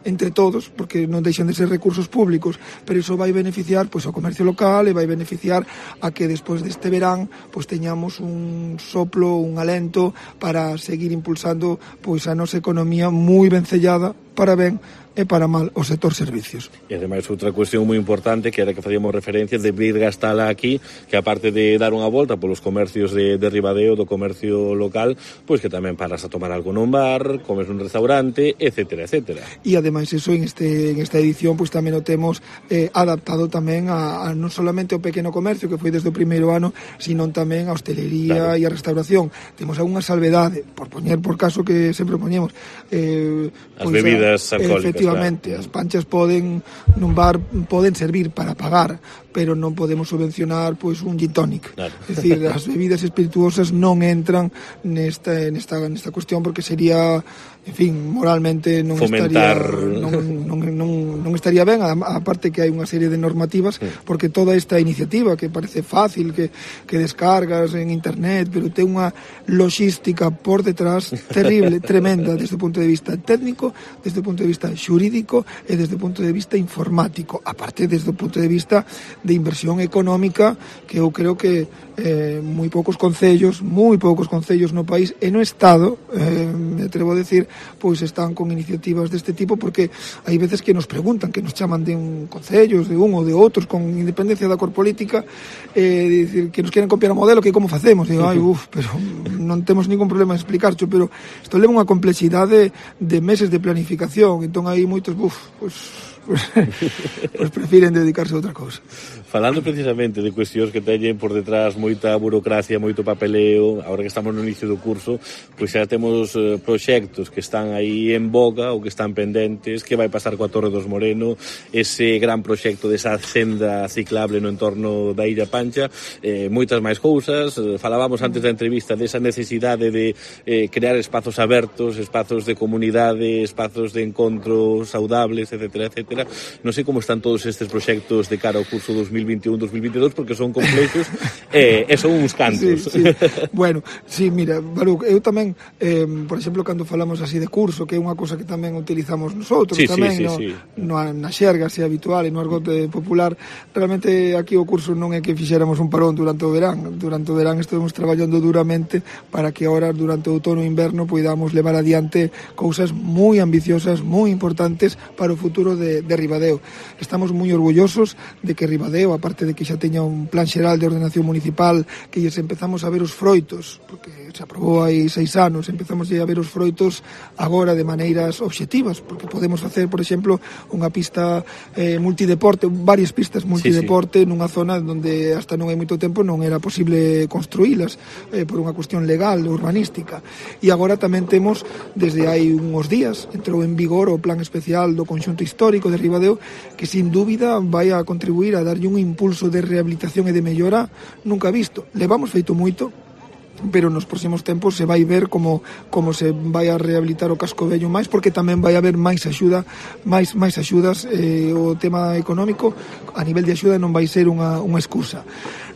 entre todos, porque non deixan de ser recursos públicos, pero iso vai beneficiar pois ao comercio local e vai beneficiar a que despois deste verán pois teñamos un soplo, un alento para seguir impulsando pois a nosa economía moi vencellada para ben e para mal o sector servicios. E ademais outra cuestión moi importante que era que facíamos referencia de vir gastala aquí, que aparte de dar unha volta polos comercios de Ribadeo, do comercio local, pois que tamén paras a tomar algo nun bar, comes nun restaurante, etcétera, etcétera. E ademais eso en esta edición pois tamén o temos adaptado tamén a non solamente o pequeno comercio que foi desde o primeiro ano, sino tamén a hostelería e a restauración. Temos algunha salvedade, por poñer por caso que sempre poñemos as bebidas alcohólicas. Efectivamente, as panchas poden nun bar poden servir para pagar, pero non podemos subvencionar pois un gin tonic. Claro. É dicir, as bebidas espirituosas non entran nesta cuestión porque sería, en fin, moralmente non fomentar... non estaría ben, a parte que hai unha serie de normativas, porque toda esta iniciativa que parece fácil, que descargas en internet, pero ten unha logística por detrás terrible, tremenda, desde o punto de vista técnico, desde o punto de vista xurídico e desde o punto de vista informático, aparte desde o punto de vista de inversión económica, que eu creo que moi poucos concellos no país e no Estado, me atrevo a decir, pois están con iniciativas deste tipo, porque hai veces que nos preguntan, que nos chaman de un concellos, de un ou de outros, con independencia da cor política, dicir, que nos queren copiar o modelo, que como facemos? Digo, pero non temos ningún problema en explicarcho, pero isto leva unha complexidade de meses de planificación, entón hai moitos, pois prefiren dedicarse a outra cousa. Falando precisamente de cuestións que teñen por detrás moita burocracia, moito papeleo, agora que estamos no inicio do curso, pois xa temos proxectos que están aí en boga ou que están pendentes, que vai pasar coa Torre dos Moreno, ese gran proxecto desa senda ciclable no entorno da Illa Pancha, moitas máis cousas. Falábamos antes da entrevista desa necesidade de crear espazos abertos, espazos de comunidade, espazos de encontro saudables, etcétera, etcétera. Non sei como están todos estes proxectos de cara ao curso 2021-2022, porque son complexos e son uns cantos. Sí. Bueno, sí, mira, Baruch, eu tamén, por exemplo, cando falamos así de curso, que é unha cosa que tamén utilizamos nosotros, na xerga así habitual e no argote popular, realmente aquí o curso non é que fixéramos un parón durante o verán. Durante o verán estamos traballando duramente para que ahora, durante o outono e inverno, podamos levar adiante cousas moi ambiciosas, moi importantes para o futuro de Ribadeo. Estamos moi orgullosos de que Ribadeo, aparte de que xa teña un plan xeral de ordenación municipal, que lles empezamos a ver os froitos, porque se aprobou hai 6 anos, empezamos a ver os froitos agora de maneiras obxectivas, porque podemos facer, por exemplo, unha pista multideporte, varias pistas multideporte nunha zona onde hasta non hai moito tempo non era posible construílas por unha cuestión legal, urbanística. E agora tamén temos, desde hai uns días, entrou en vigor o plan especial do conxunto histórico de de Ribadeo, que sin dúbida vai a contribuir a darlle un impulso de rehabilitación e de mellora nunca visto. Levamos feito moito, pero nos próximos tempos se vai ver como se vai a rehabilitar o casco vello máis, porque tamén vai haber máis axudas, o tema económico a nivel de axuda non vai ser unha excusa.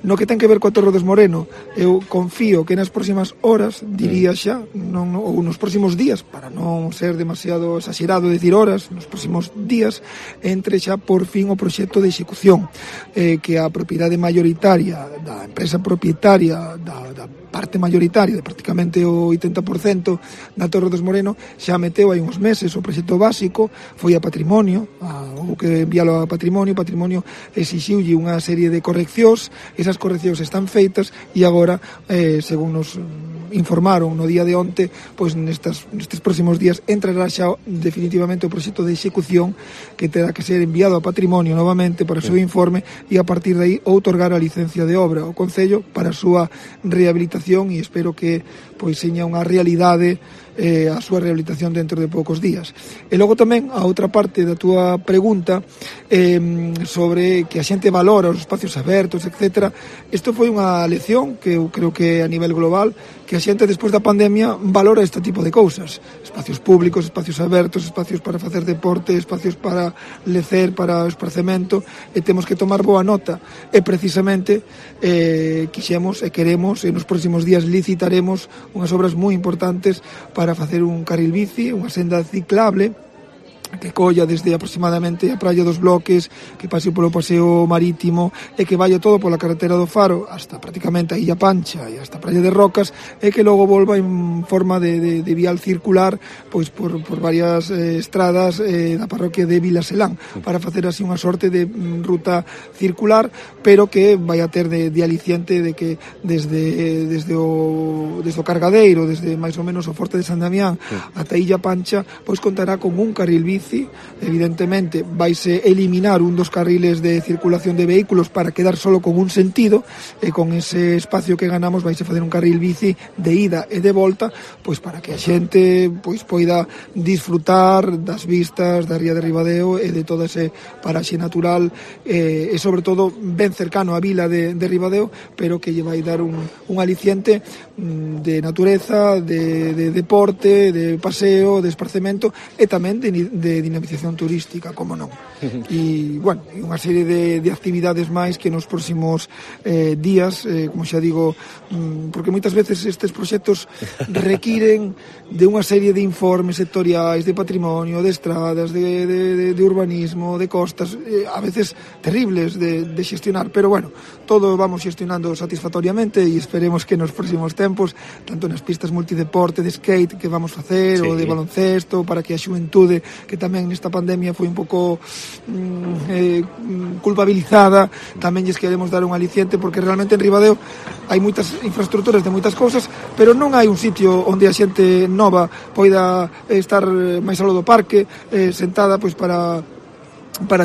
No que ten que ver coa Torre dos Moreno, eu confío que nas próximas horas, diría xa, ou nos próximos días, para non ser demasiado exagerado decir horas, nos próximos días entre xa por fin o proxecto de execución, que a propiedade mayoritaria da empresa propietaria da parte mayoritaria, de prácticamente o 80% da Torre dos Moreno, xa meteu hai uns meses o proxecto básico, foi a Patrimonio, houve que enviálo a Patrimonio exixiulle unha serie de correccións, esas correccións están feitas e agora, según nos informaron no día de onte, pois nestes próximos días entrará xa definitivamente o proxecto de execución, que terá que ser enviado a Patrimonio novamente para o seu informe e a partir de aí outorgar a licencia de obra ao Concello para a súa rehabilitación, e espero que pois seña unha realidade a súa rehabilitación dentro de poucos días. E logo tamén a outra parte da túa pregunta sobre que a xente valora os espacios abertos, etc. Isto foi unha lección que eu creo que a nivel global, que a xente despois da pandemia valora este tipo de cousas, espacios públicos, espacios abertos, espacios para facer deporte, espacios para lecer, para o esparcemento, e temos que tomar boa nota, e precisamente quixemos e queremos, e nos próximos días licitaremos unhas obras moi importantes para facer un carril bici, unha senda ciclable que colla desde aproximadamente a Praia dos Bloques, que pase polo paseo marítimo e que vaya todo pola carretera do Faro hasta prácticamente a Illa Pancha e hasta a Praia de Rocas, e que logo volva en forma de vial circular pois por varias estradas da parroquia de Vilaselán, para facer así unha sorte de ruta circular, pero que vai a ter de aliciente de que desde o Cargadeiro, desde máis ou menos o Forte de San Damián ata Illa Pancha, pois contará con un carril bici. Evidentemente vaise eliminar un dos carriles de circulación de vehículos para quedar solo con un sentido, e con ese espacio que ganamos vaise facer un carril bici de ida e de volta, pois para que a xente pois poida disfrutar das vistas da ría de Ribadeo e de toda ese paraxe natural, e sobre todo ben cercano á vila de Ribadeo, pero que lle vai dar un aliciente de natureza, de deporte, de paseo, de esparcemento e tamén de dinamización turística, como non. E, bueno, unha serie de actividades máis que nos próximos días, como xa digo, porque moitas veces estes proxectos requiren de unha serie de informes sectoriais, de patrimonio, de estradas, de urbanismo, de costas, a veces terribles de xestionar, pero bueno, todo vamos xestionando satisfactoriamente e esperemos que nos próximos tempos, tanto nas pistas multideporte, de skate que vamos facer, ou de baloncesto, para que a xuventude, que tamén nesta pandemia foi un pouco culpabilizada, tamén lles queremos dar un aliciente, porque realmente en Ribadeo hai moitas infraestructuras de moitas cousas, pero non hai un sitio onde a xente nova poida estar máis aló do parque, sentada pois para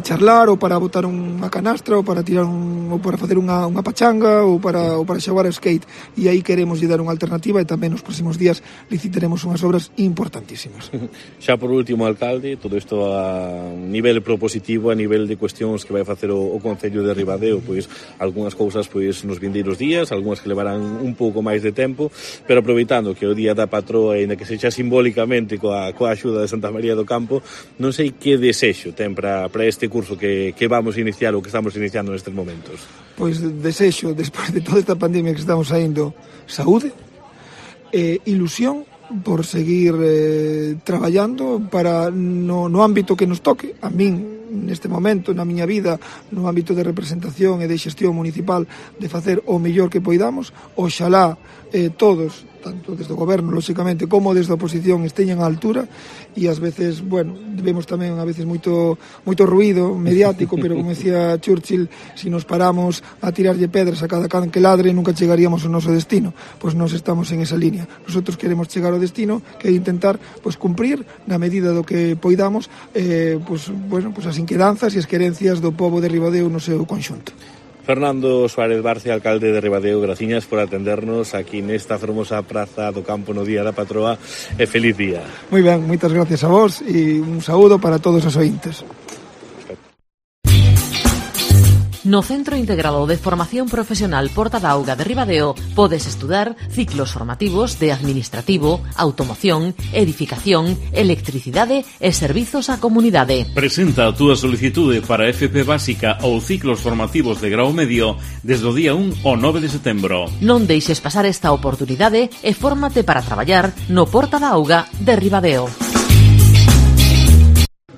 charlar, ou para botar unha canastra, ou para tirar ou para facer unha pachanga, ou para xogar a skate, e aí queremos lle dar unha alternativa, e tamén nos próximos días licitaremos unhas obras importantísimas. Xa por último, alcalde, todo isto a nivel propositivo, a nivel de cuestións que vai facer o Concello de Ribadeo, pois algunhas cousas pois nos vindeiros días, algunhas que levarán un pouco máis de tempo, pero aproveitando que o día da patroa, ainda que sexa simbólicamente coa axuda de Santa María do Campo, non sei que desexo ten para este curso que vamos a iniciar, ou que estamos iniciando nestes momentos. Pois desexo, despois de toda esta pandemia que estamos saindo, saúde, ilusión por seguir traballando para no ámbito que nos toque. A min, neste momento, na miña vida, no ámbito de representación e de xestión municipal, de facer o mellor que poidamos. Oxalá todos, tanto desde o goberno, lóxicamente, como desde a oposición, esteñan á altura, e ás veces, bueno, vemos tamén a veces moito ruído mediático, pero como decía Churchill, se nos paramos a tirarlle pedras a cada can que ladre, nunca chegaríamos ao noso destino. Pois nós estamos en esa línea. Nosotros queremos chegar ao destino, que é intentar pois cumprir na medida do que poidamos pois as inquedanzas e as querencias do pobo de Ribadeo no seu conxunto. Fernando Suárez Barce, alcalde de Ribadeo, graciñas por atendernos aquí nesta fermosa praza do campo no Día da Patroa, e feliz día. Moi ben, moitas gracias a vos e un saúdo para todos os ointes. No Centro Integrado de Formación Profesional Porta da Auga de Ribadeo podes estudar ciclos formativos de administrativo, automoción, edificación, electricidade e servizos á comunidade. Presenta a túa solicitude para FP básica ou ciclos formativos de grau medio desde o día 1 ao 9 de setembro. Non deixes pasar esta oportunidade e fórmate para traballar no Porta da Auga de Ribadeo.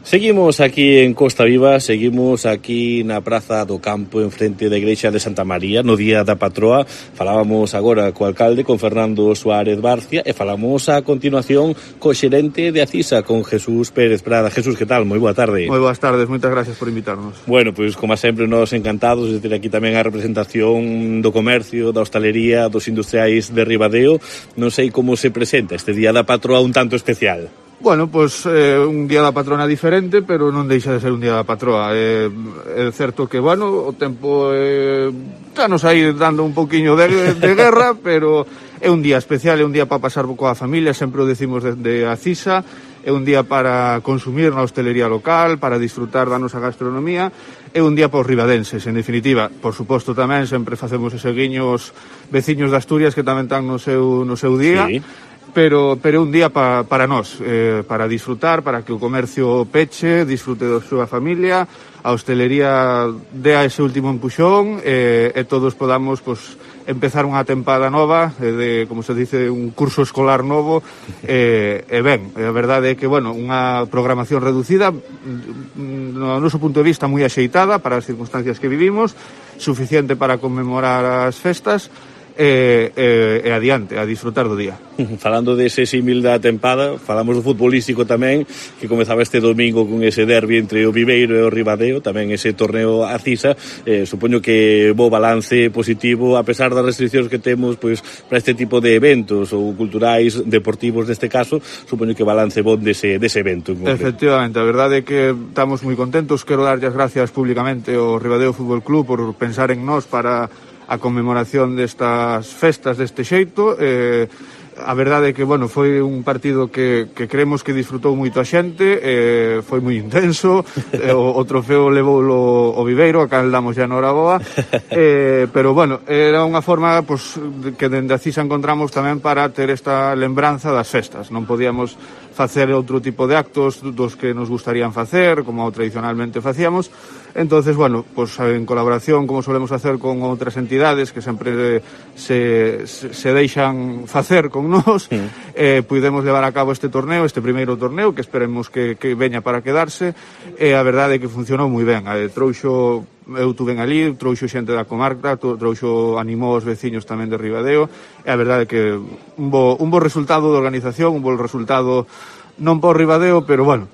Seguimos aquí en Costa Viva, seguimos aquí na Praza do Campo en frente da Igrexa de Santa María no día da patroa. Falábamos agora co alcalde, con Fernando Suárez Barcia, e falamos a continuación co xerente de Acisa, con Jesús Pérez Prada. Jesús, que tal? Moi boa tarde. Moi boas tardes, moitas gracias por invitarnos. Bueno, pois como sempre nós encantados de ter aquí tamén a representación do comercio, da hostalería, dos industriais de Ribadeo. Non sei como se presenta este día da patroa un tanto especial. Bueno, pues un día da patrona diferente, pero non deixa de ser un día da patroa. É certo que, bueno, o tempo nos aí dando un poquinho de guerra, pero é un día especial, é un día para pasar coa familia, sempre o decimos de Acisa, é un día para consumir na hostelería local, para disfrutar da nosa gastronomía, é un día para os ribadenses, en definitiva. Por suposto tamén sempre facemos ese guiño aos veciños de Asturias que tamén están no seu día. Sí. Pero é un día para nós, para disfrutar, para que o comercio peche, disfrute da súa familia, a hostelería dea ese último empuxón e todos podamos empezar unha tempada nova, como se dice, un curso escolar novo, e ben, a verdade é que, bueno, unha programación reducida, no noso punto de vista moi axeitada para as circunstancias que vivimos, suficiente para conmemorar as festas, e adiante, a disfrutar do día. Falando dese símil da tempada, falamos do futbolístico tamén, que comezaba este domingo con ese derbi entre o Viveiro e o Ribadeo, tamén ese torneo Acisa. Supoño que bo balance positivo, a pesar das restriccións que temos pois para este tipo de eventos ou culturais, deportivos neste caso, supoño que balance bon dese evento. Efectivamente, a verdade é que estamos moi contentos. Quero darlle as gracias públicamente ao Ribadeo Fútbol Club por pensar en nós para a conmemoración destas festas deste xeito. A verdade é que, bueno, foi un partido que creemos que disfrutou moito a xente, foi moi intenso, o trofeo levoulo o Viveiro, acá damos ya na hora boa, pero, bueno, era unha forma que dende Acisa encontramos tamén para ter esta lembranza das festas. Non podíamos facer outro tipo de actos dos que nos gustarían facer, como tradicionalmente facíamos. Entonces, bueno, pues en colaboración, como solemos hacer con outras entidades que sempre se deixan facer con nós, pudemos levar a cabo este torneo, este primeiro torneo, que esperemos que veña para quedarse, e a verdade é que funcionou moi ben. Eu tuven ali, trouxo xente da comarca, animou os veciños tamén de Ribadeo, e a verdade é que un bo resultado de organización, un bo resultado non por Ribadeo, pero bueno,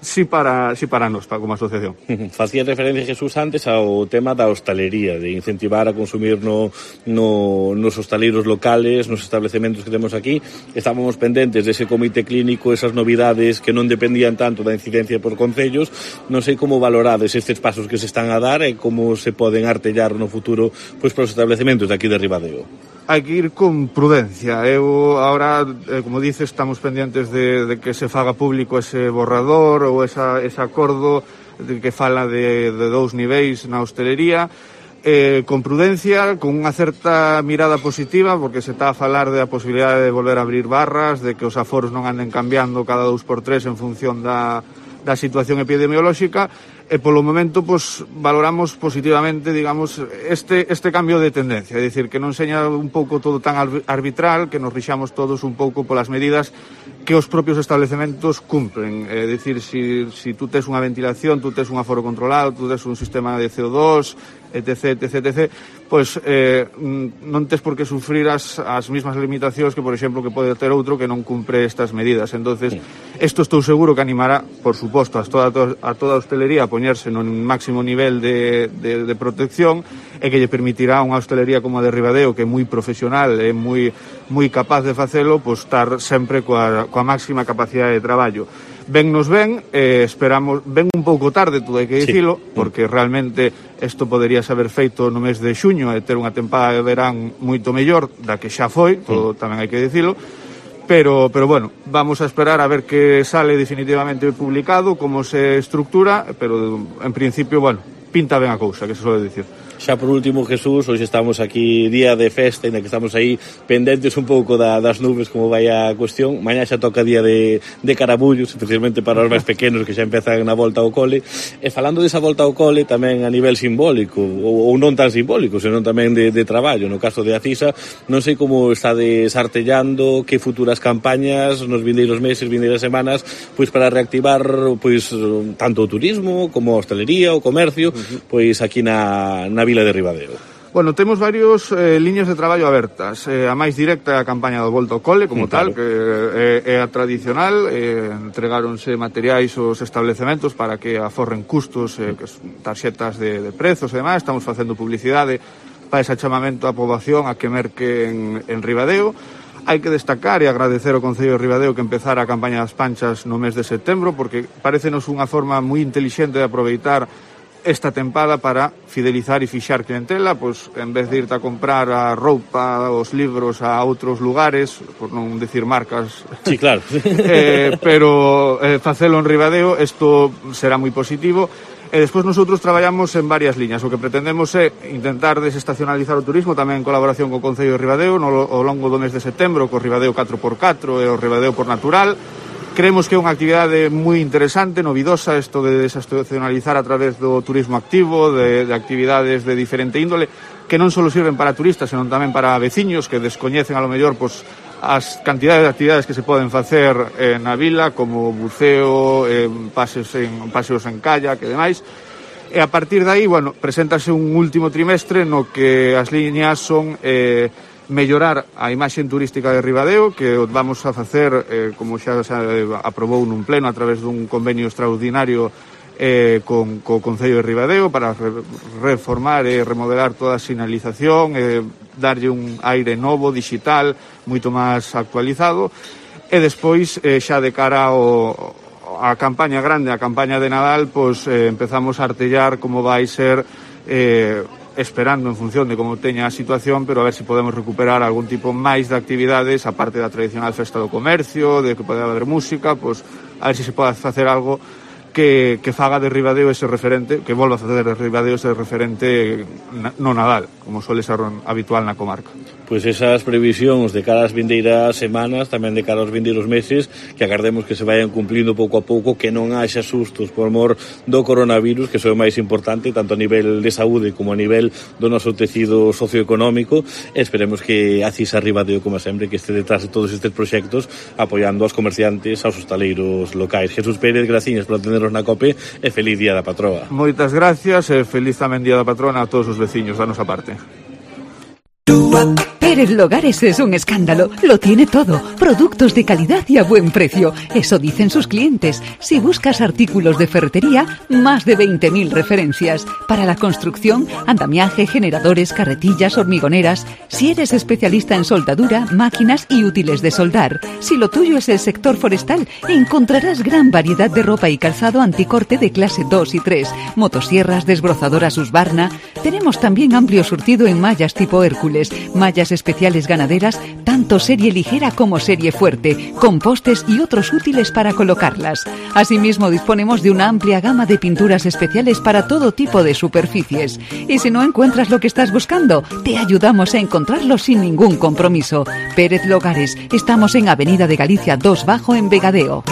sí para nós, como asociación. Facía referencia, Jesús, antes ao tema da hostalería, de incentivar a consumir nos hostaleiros locales, nos establecementos que temos aquí. Estábamos pendentes dese comité clínico, esas novidades que non dependían tanto da incidencia por concellos. Non sei como valorades estes pasos que se están a dar e como se poden artellar no futuro pois para os establecementos de aquí de Ribadeo. Hai que ir con prudencia. Ahora, como dices, estamos pendientes de que se faga público ese borrador ou ese acordo que fala de 2 niveis na hostelería, con prudencia, con unha certa mirada positiva, porque se está a falar da posibilidade de volver a abrir barras, de que os aforos non anden cambiando cada 2x3 en función da situación epidemiolóxica, e polo momento valoramos positivamente, digamos, este cambio de tendencia, é dicir, que non seña un pouco todo tan arbitral, que nos rixamos todos un pouco polas medidas que os propios establecementos cumpren. É dicir, si tú tes unha ventilación, tú tes un aforo controlado, tú tes un sistema de CO2, etc., pois non tes por que sufrir as mismas limitacións que, por exemplo, que pode ter outro que non cumpre estas medidas. Entonces, isto estou seguro que animará, por suposto, a toda a hostelería a poñerse nun máximo nivel de protección, e que lle permitirá a unha hostelería como a de Ribadeo, que é moi profesional e moi capaz de facelo, estar sempre coa máxima capacidade de traballo. Vennos ben, esperamos, ven un pouco tarde, todo hai que dicilo, porque realmente isto podería haber feito no mes de xuño e ter unha tempada de verán moito mellor da que xa foi, todo tamén hai que dicilo, pero bueno, vamos a esperar a ver que sale definitivamente publicado, como se estructura, pero en principio, bueno, pinta ben a cousa, que se suele dicir. Xa por último, Jesús, hoxe estamos aquí día de festa, en que estamos aí pendentes un pouco das nubes, como vai a cuestión. Mañá xa toca día de carabullos, especialmente para os máis pequenos que xa empezan na volta ao cole. E falando desa volta ao cole, tamén a nivel simbólico, ou non tan simbólico, senón tamén de traballo, no caso de Acisa, non sei como estades artellando, que futuras campañas nos vindeiros meses, vindeiras semanas, pois para reactivar pois tanto o turismo como a hostelería, o comercio, pois aquí na Vila de Ribadeo. Bueno, temos varios liñas de traballo abertas. A máis directa é a campaña do Volta ao Cole, como tal, que é a tradicional. Entregáronse materiais aos establecementos para que aforren custos, tarxetas de prezos e demais. Estamos facendo publicidade para ese chamamento á poboación a que merque en Ribadeo. Hai que destacar e agradecer ao Concello de Ribadeo que empezara a campaña das panchas no mes de setembro, porque parécenos unha forma moi intelixente de aproveitar esta tempada para fidelizar e fixar clientela, pois en vez de irte a comprar a roupa, os libros a outros lugares, por non decir marcas. Sí, claro. Pero facelo en Ribadeo, isto será moi positivo. E despois nosotros traballamos en varias liñas. O que pretendemos é intentar desestacionalizar o turismo tamén en colaboración co Concello de Ribadeo ao longo do mes de setembro, co Ribadeo 4x4 e o Ribadeo por Natural. Creemos que é unha actividade moi interesante, novidosa, isto de desestacionalizar a través do turismo activo, de actividades de diferente índole, que non só sirven para turistas, senón tamén para veciños que descoñecen a lo mellor as cantidades de actividades que se poden facer na vila, como buceo, paseos en kayak e demais. E a partir de aí, bueno, preséntase un último trimestre no que as liñas son mellorar a imaxe turística de Ribadeo, que vamos a facer, como xa se aprobou nun pleno a través dun convenio extraordinario co Concello de Ribadeo para reformar e remodelar toda a sinalización, darlle un aire novo, digital, moito máis actualizado. E despois, xa de cara a campaña grande, a campaña de Nadal, pois empezamos a artellar como vai ser esperando en función de como teña a situación, pero a ver se podemos recuperar algún tipo máis de actividades, aparte da tradicional festa do comercio, de que pode haber música, pues, a ver se pode facer algo que faga de Ribadeo ese referente, que volva a facer de Ribadeo ese referente no Nadal, como suele ser habitual na comarca. Pois esas previsións de cara ás vindeiras semanas, tamén de cara aos vindeiros meses, que agardemos que se vayan cumplindo pouco a pouco, que non haxa sustos por mor do coronavirus, que é o máis importante, tanto a nivel de saúde como a nivel do noso tecido socioeconómico. Esperemos que Acisa Ribadeo, como sempre, que este detrás de todos estes proxectos, apoiando aos comerciantes, aos hostaleiros locais. Jesús Pérez, graciñas por atendernos na COPE e feliz Día da Patroa. Moitas gracias e feliz tamén Día da Patrona a todos os veciños da nosa parte. Pérez Logares es un escándalo, lo tiene todo, productos de calidad y a buen precio, eso dicen sus clientes. Si buscas artículos de ferretería, más de 20.000 referencias. Para la construcción, andamiaje, generadores, carretillas, hormigoneras. Si eres especialista en soldadura, máquinas y útiles de soldar. Si lo tuyo es el sector forestal, encontrarás gran variedad de ropa y calzado anticorte de clase 2 y 3, motosierras, desbrozadoras Husqvarna. Tenemos también amplio surtido en mallas tipo Hércules, mallas especiales ganaderas, tanto serie ligera como serie fuerte, con postes y otros útiles para colocarlas. Asimismo, disponemos de una amplia gama de pinturas especiales para todo tipo de superficies. Y si no encuentras lo que estás buscando, te ayudamos a encontrarlo sin ningún compromiso. Pérez Logares, estamos en Avenida de Galicia 2 Bajo en Vegadeo.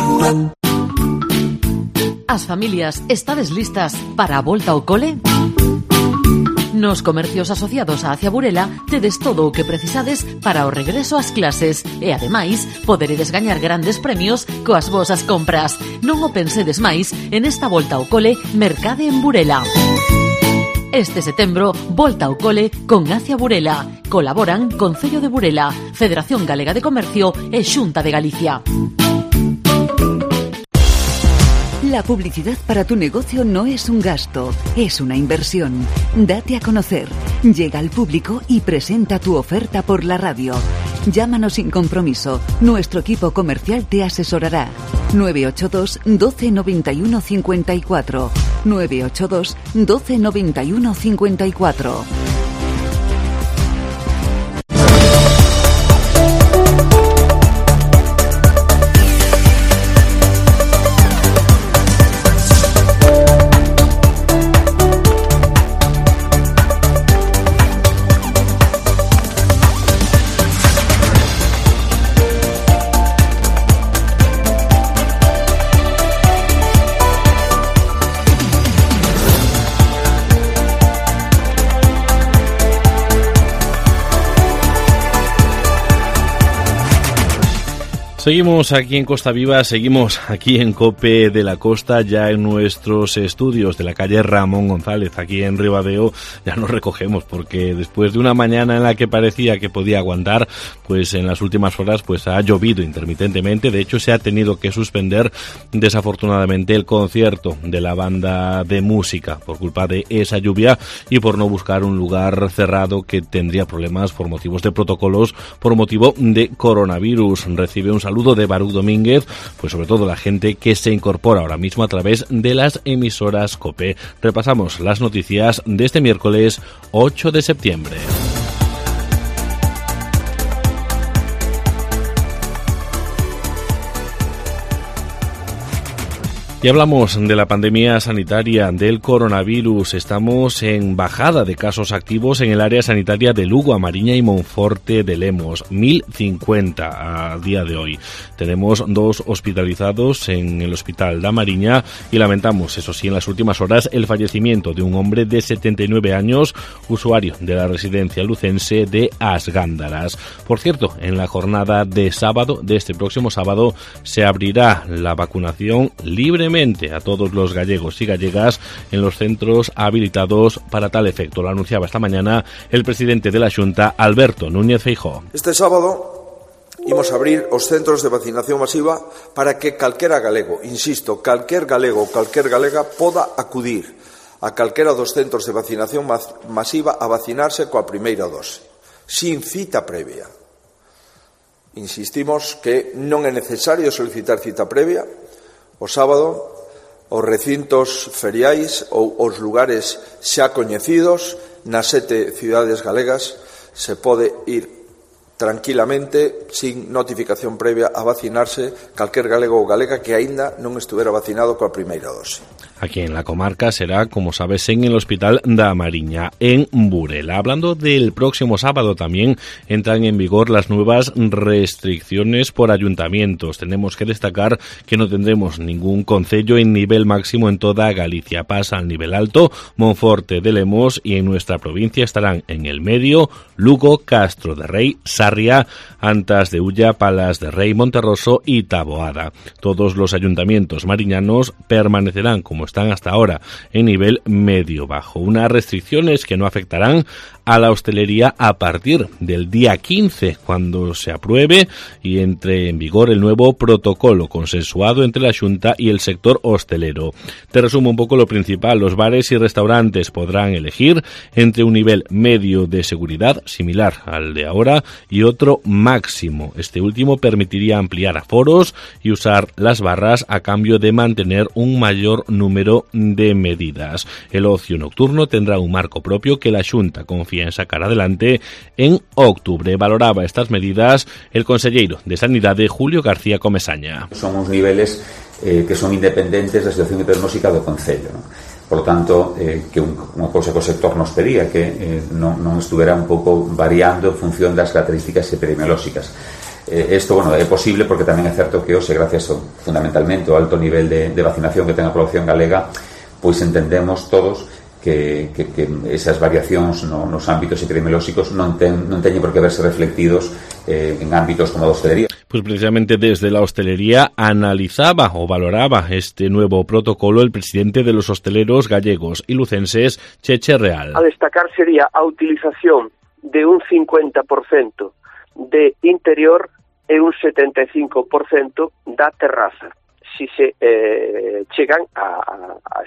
As familias, estades listas para a volta ao cole? Nos comercios asociados a Acia Burela tedes todo o que precisades para o regreso ás clases e, ademais, poderedes gañar grandes premios coas vosas compras. Non o pensedes máis, en esta volta ao cole, mercade en Burela. Este setembro, volta ao cole con Acia Burela. Colaboran Concello de Burela, Federación Galega de Comercio e Xunta de Galicia. La publicidad para tu negocio no es un gasto, es una inversión. Date a conocer, llega al público y presenta tu oferta por la radio. Llámanos sin compromiso, nuestro equipo comercial te asesorará. 982 12 91 54. 982 12 91 54. Seguimos aquí en Costa Viva, seguimos aquí en COPE de la Costa, ya en nuestros estudios de la calle Ramón González, aquí en Ribadeo. Ya nos recogemos porque después de una mañana en la que parecía que podía aguantar, pues en las últimas horas pues ha llovido intermitentemente. De hecho, se ha tenido que suspender desafortunadamente el concierto de la banda de música por culpa de esa lluvia y por no buscar un lugar cerrado que tendría problemas por motivos de protocolos, por motivo de coronavirus. Recibe un saludo de Baruch Domínguez, pues sobre todo la gente que se incorpora ahora mismo a través de las emisoras COPE. Repasamos las noticias de este miércoles 8 de septiembre. Y hablamos de la pandemia sanitaria del coronavirus. Estamos en bajada de casos activos en el área sanitaria de Lugo, Amariña y Monforte de Lemos. 1050 a día de hoy. Tenemos 2 hospitalizados en el hospital de Amariña y lamentamos, eso sí, en las últimas horas el fallecimiento de un hombre de 79 años, usuario de la residencia lucense de As Gándaras. Por cierto, en la jornada de sábado, de este próximo sábado, se abrirá la vacunación libremente a todos los gallegos y gallegas en los centros habilitados para tal efecto. Lo anunciaba esta mañana el presidente de la Xunta, Alberto Núñez Feijóo. Este sábado imos abrir os centros de vacinación masiva para que calquera galego, insisto, calquer galego ou calquer galega poda acudir a calquera dos centros de vacinación masiva a vacinarse coa primeira dose, sin cita previa. Insistimos que non é necesario solicitar cita previa. O sábado, os recintos feriais ou os lugares xa coñecidos nas 7 cidades galegas se pode ir tranquilamente, sin notificación previa, a vacinarse calquer galego ou galega que aínda non estuvera vacinado coa primeira dose. Aquí en la comarca será, como sabes, en el Hospital da Amariña, en Burela. Hablando del próximo sábado, también entran en vigor las nuevas restricciones por ayuntamientos. Tenemos que destacar que no tendremos ningún concello en nivel máximo en toda Galicia. Pasa al nivel alto Monforte de Lemos y en nuestra provincia estarán en el medio Lugo, Castro de Rei, Sarria, Antas de Ulla, Palas de Rei, Monterroso y Taboada. Todos los ayuntamientos mariñanos permanecerán como están hasta ahora, en nivel medio-bajo. Unas restricciones que no afectarán a la hostelería a partir del día 15, cuando se apruebe y entre en vigor el nuevo protocolo consensuado entre la Xunta y el sector hostelero. Te resumo un poco lo principal. Los bares y restaurantes podrán elegir entre un nivel medio de seguridad, similar al de ahora, y otro máximo. Este último permitiría ampliar aforos y usar las barras a cambio de mantener un mayor número de medidas. El ocio nocturno tendrá un marco propio que la Xunta confía en sacar adelante en octubre. Valoraba estas medidas el conselleiro de Sanidade, Julio García Comesaña. Son uns niveles que son independentes da situación epidemiolóxica do concello, non? Por lo tanto, que unha cousa que o sector nos pedía, que non estuvera un pouco variando en función das características epidemiolóxicas. Isto, bueno, é posible porque tamén é certo que hoxe, gracias fundamentalmente ao alto nivel de vacinación que ten a población galega, pois entendemos todos que esas variacións nos ámbitos epidemiolóxicos non teñen por que verse reflectidos en ámbitos como a hostelería. Pues precisamente desde la hostelería analizaba o valoraba este nuevo protocolo el presidente de los hosteleros gallegos y lucenses, Cheche Real. A destacar sería a utilización de un 50% de interior e un 75% da terraza. Si se chegan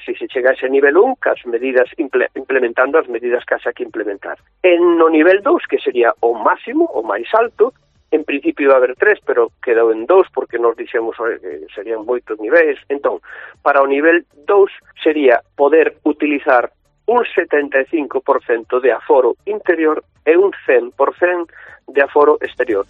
si se chega a ese nivel 1, cas medidas implementando as medidas que haxa que implementar. En no nivel 2, que sería o máximo, o máis alto, en principio iba a haber 3, pero quedou en 2 porque nos dixemos que serían 8 niveis. Entón, para o nivel 2 sería poder utilizar un 75% de aforo interior e un 100% de aforo exterior.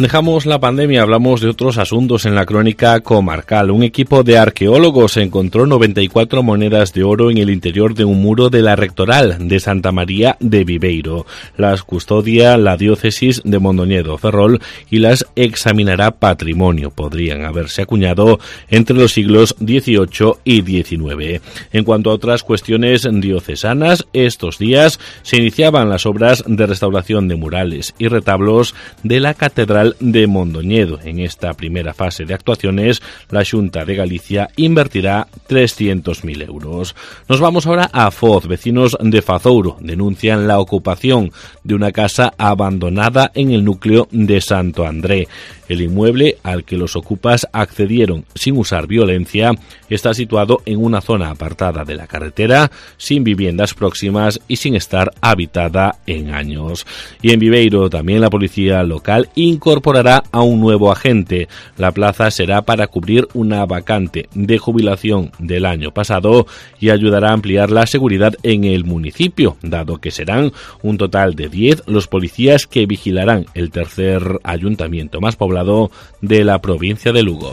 Dejamos la pandemia, hablamos de otros asuntos en la crónica comarcal. Un equipo de arqueólogos encontró 94 monedas de oro en el interior de un muro de la Rectoral de Santa María de Viveiro. Las custodia la diócesis de Mondoñedo Ferrol y las examinará Patrimonio. Podrían haberse acuñado entre los siglos XVIII y XIX. En cuanto a otras cuestiones diocesanas, estos días se iniciaban las obras de restauración de murales y retablos de la Catedral de Mondoñedo. En esta primera fase de actuaciones, la Xunta de Galicia invertirá 300.000 euros. Nos vamos ahora a Foz. Vecinos de Fazouro denuncian la ocupación de una casa abandonada en el núcleo de Santo André. El inmueble al que los ocupas accedieron sin usar violencia está situado en una zona apartada de la carretera, sin viviendas próximas y sin estar habitada en años. Y en Viveiro también la policía local incorporará a un nuevo agente. La plaza será para cubrir una vacante de jubilación del año pasado y ayudará a ampliar la seguridad en el municipio, dado que serán un total de 10 los policías que vigilarán el tercer ayuntamiento más poblado de la provincia de Lugo.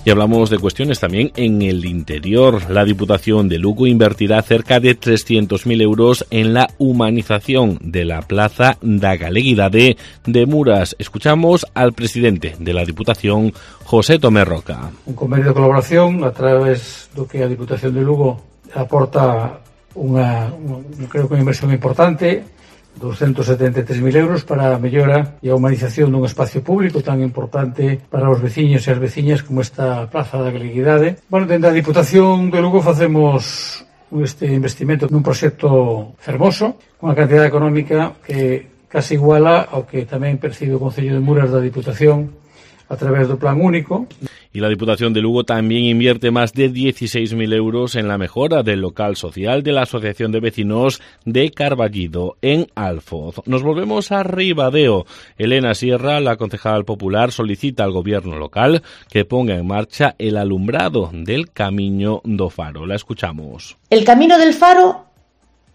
Y hablamos de cuestiones también en el interior. La Diputación de Lugo invertirá cerca de 300.000 euros en la humanización de la Plaza da Galeguidade de Muras. Escuchamos al presidente de la Diputación, José Tomé Roca. Un convenio de colaboración a través do que a Diputación de Lugo aporta creo que unha inversión importante, 273.000 euros para a mellora e a humanización dun espacio público tan importante para os veciños e as veciñas como esta Plaza da Galeguidade. Bueno, dende a Diputación de Lugo facemos este investimento nun proxecto fermoso, unha cantidad económica que case iguala ao que tamén percibe o Concello de Muras da Diputación a través do Plan Único. Y la Diputación de Lugo también invierte más de 16.000 euros en la mejora del local social de la Asociación de Vecinos de Carballido, en Alfoz. Nos volvemos a Ribadeo. Elena Sierra, la concejal popular, solicita al gobierno local que ponga en marcha el alumbrado del Camiño do Faro. La escuchamos. El Camino del Faro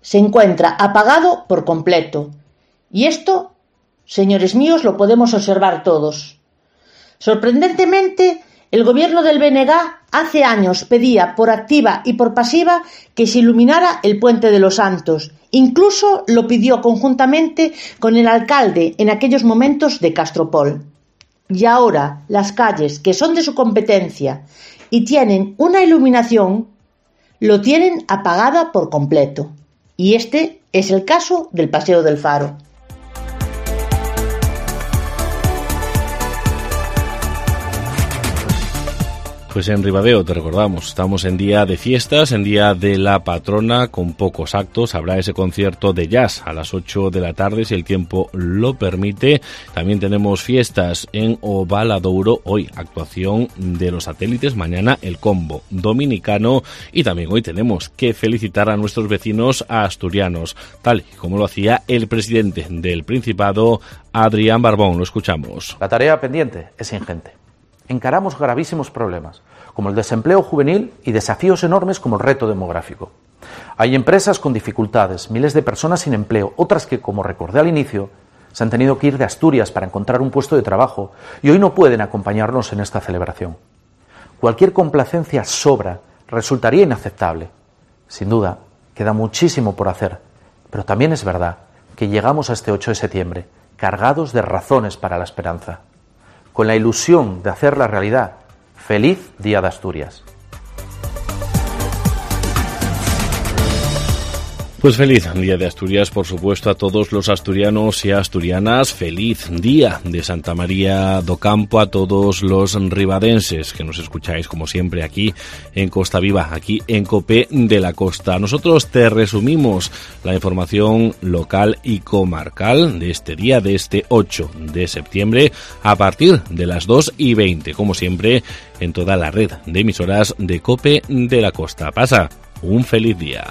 se encuentra apagado por completo. Y esto, señores míos, lo podemos observar todos. Sorprendentemente, el gobierno del BNG hace años pedía por activa y por pasiva que se iluminara el Puente de los Santos. Incluso lo pidió conjuntamente con el alcalde en aquellos momentos de Castropol. Y ahora las calles que son de su competencia y tienen una iluminación, lo tienen apagada por completo. Y este es el caso del Paseo del Faro. Pues en Ribadeo, te recordamos, estamos en día de fiestas, en día de la patrona, con pocos actos. Habrá ese concierto de jazz a las 8 de la tarde, si el tiempo lo permite. También tenemos fiestas en Ovaladouro, hoy actuación de los satélites, mañana el combo dominicano. Y también hoy tenemos que felicitar a nuestros vecinos asturianos, tal y como lo hacía el presidente del Principado, Adrián Barbón. Lo escuchamos. La tarea pendiente es ingente. Encaramos gravísimos problemas, como el desempleo juvenil y desafíos enormes como el reto demográfico. Hay empresas con dificultades, miles de personas sin empleo, otras que, como recordé al inicio, se han tenido que ir de Asturias para encontrar un puesto de trabajo y hoy no pueden acompañarnos en esta celebración. Cualquier complacencia sobra, resultaría inaceptable. Sin duda, queda muchísimo por hacer, pero también es verdad que llegamos a este 8 de septiembre cargados de razones para la esperanza, con la ilusión de hacerla realidad. ¡Feliz Día de Asturias! Pues feliz Día de Asturias, por supuesto, a todos los asturianos y asturianas. Feliz Día de Santa María do Campo a todos los ribadenses que nos escucháis, como siempre, aquí en Costa Viva, aquí en COPE de la Costa. Nosotros te resumimos la información local y comarcal de este día, de este 8 de septiembre, a partir de las 2:20, como siempre, en toda la red de emisoras de COPE de la Costa. Pasa un feliz día.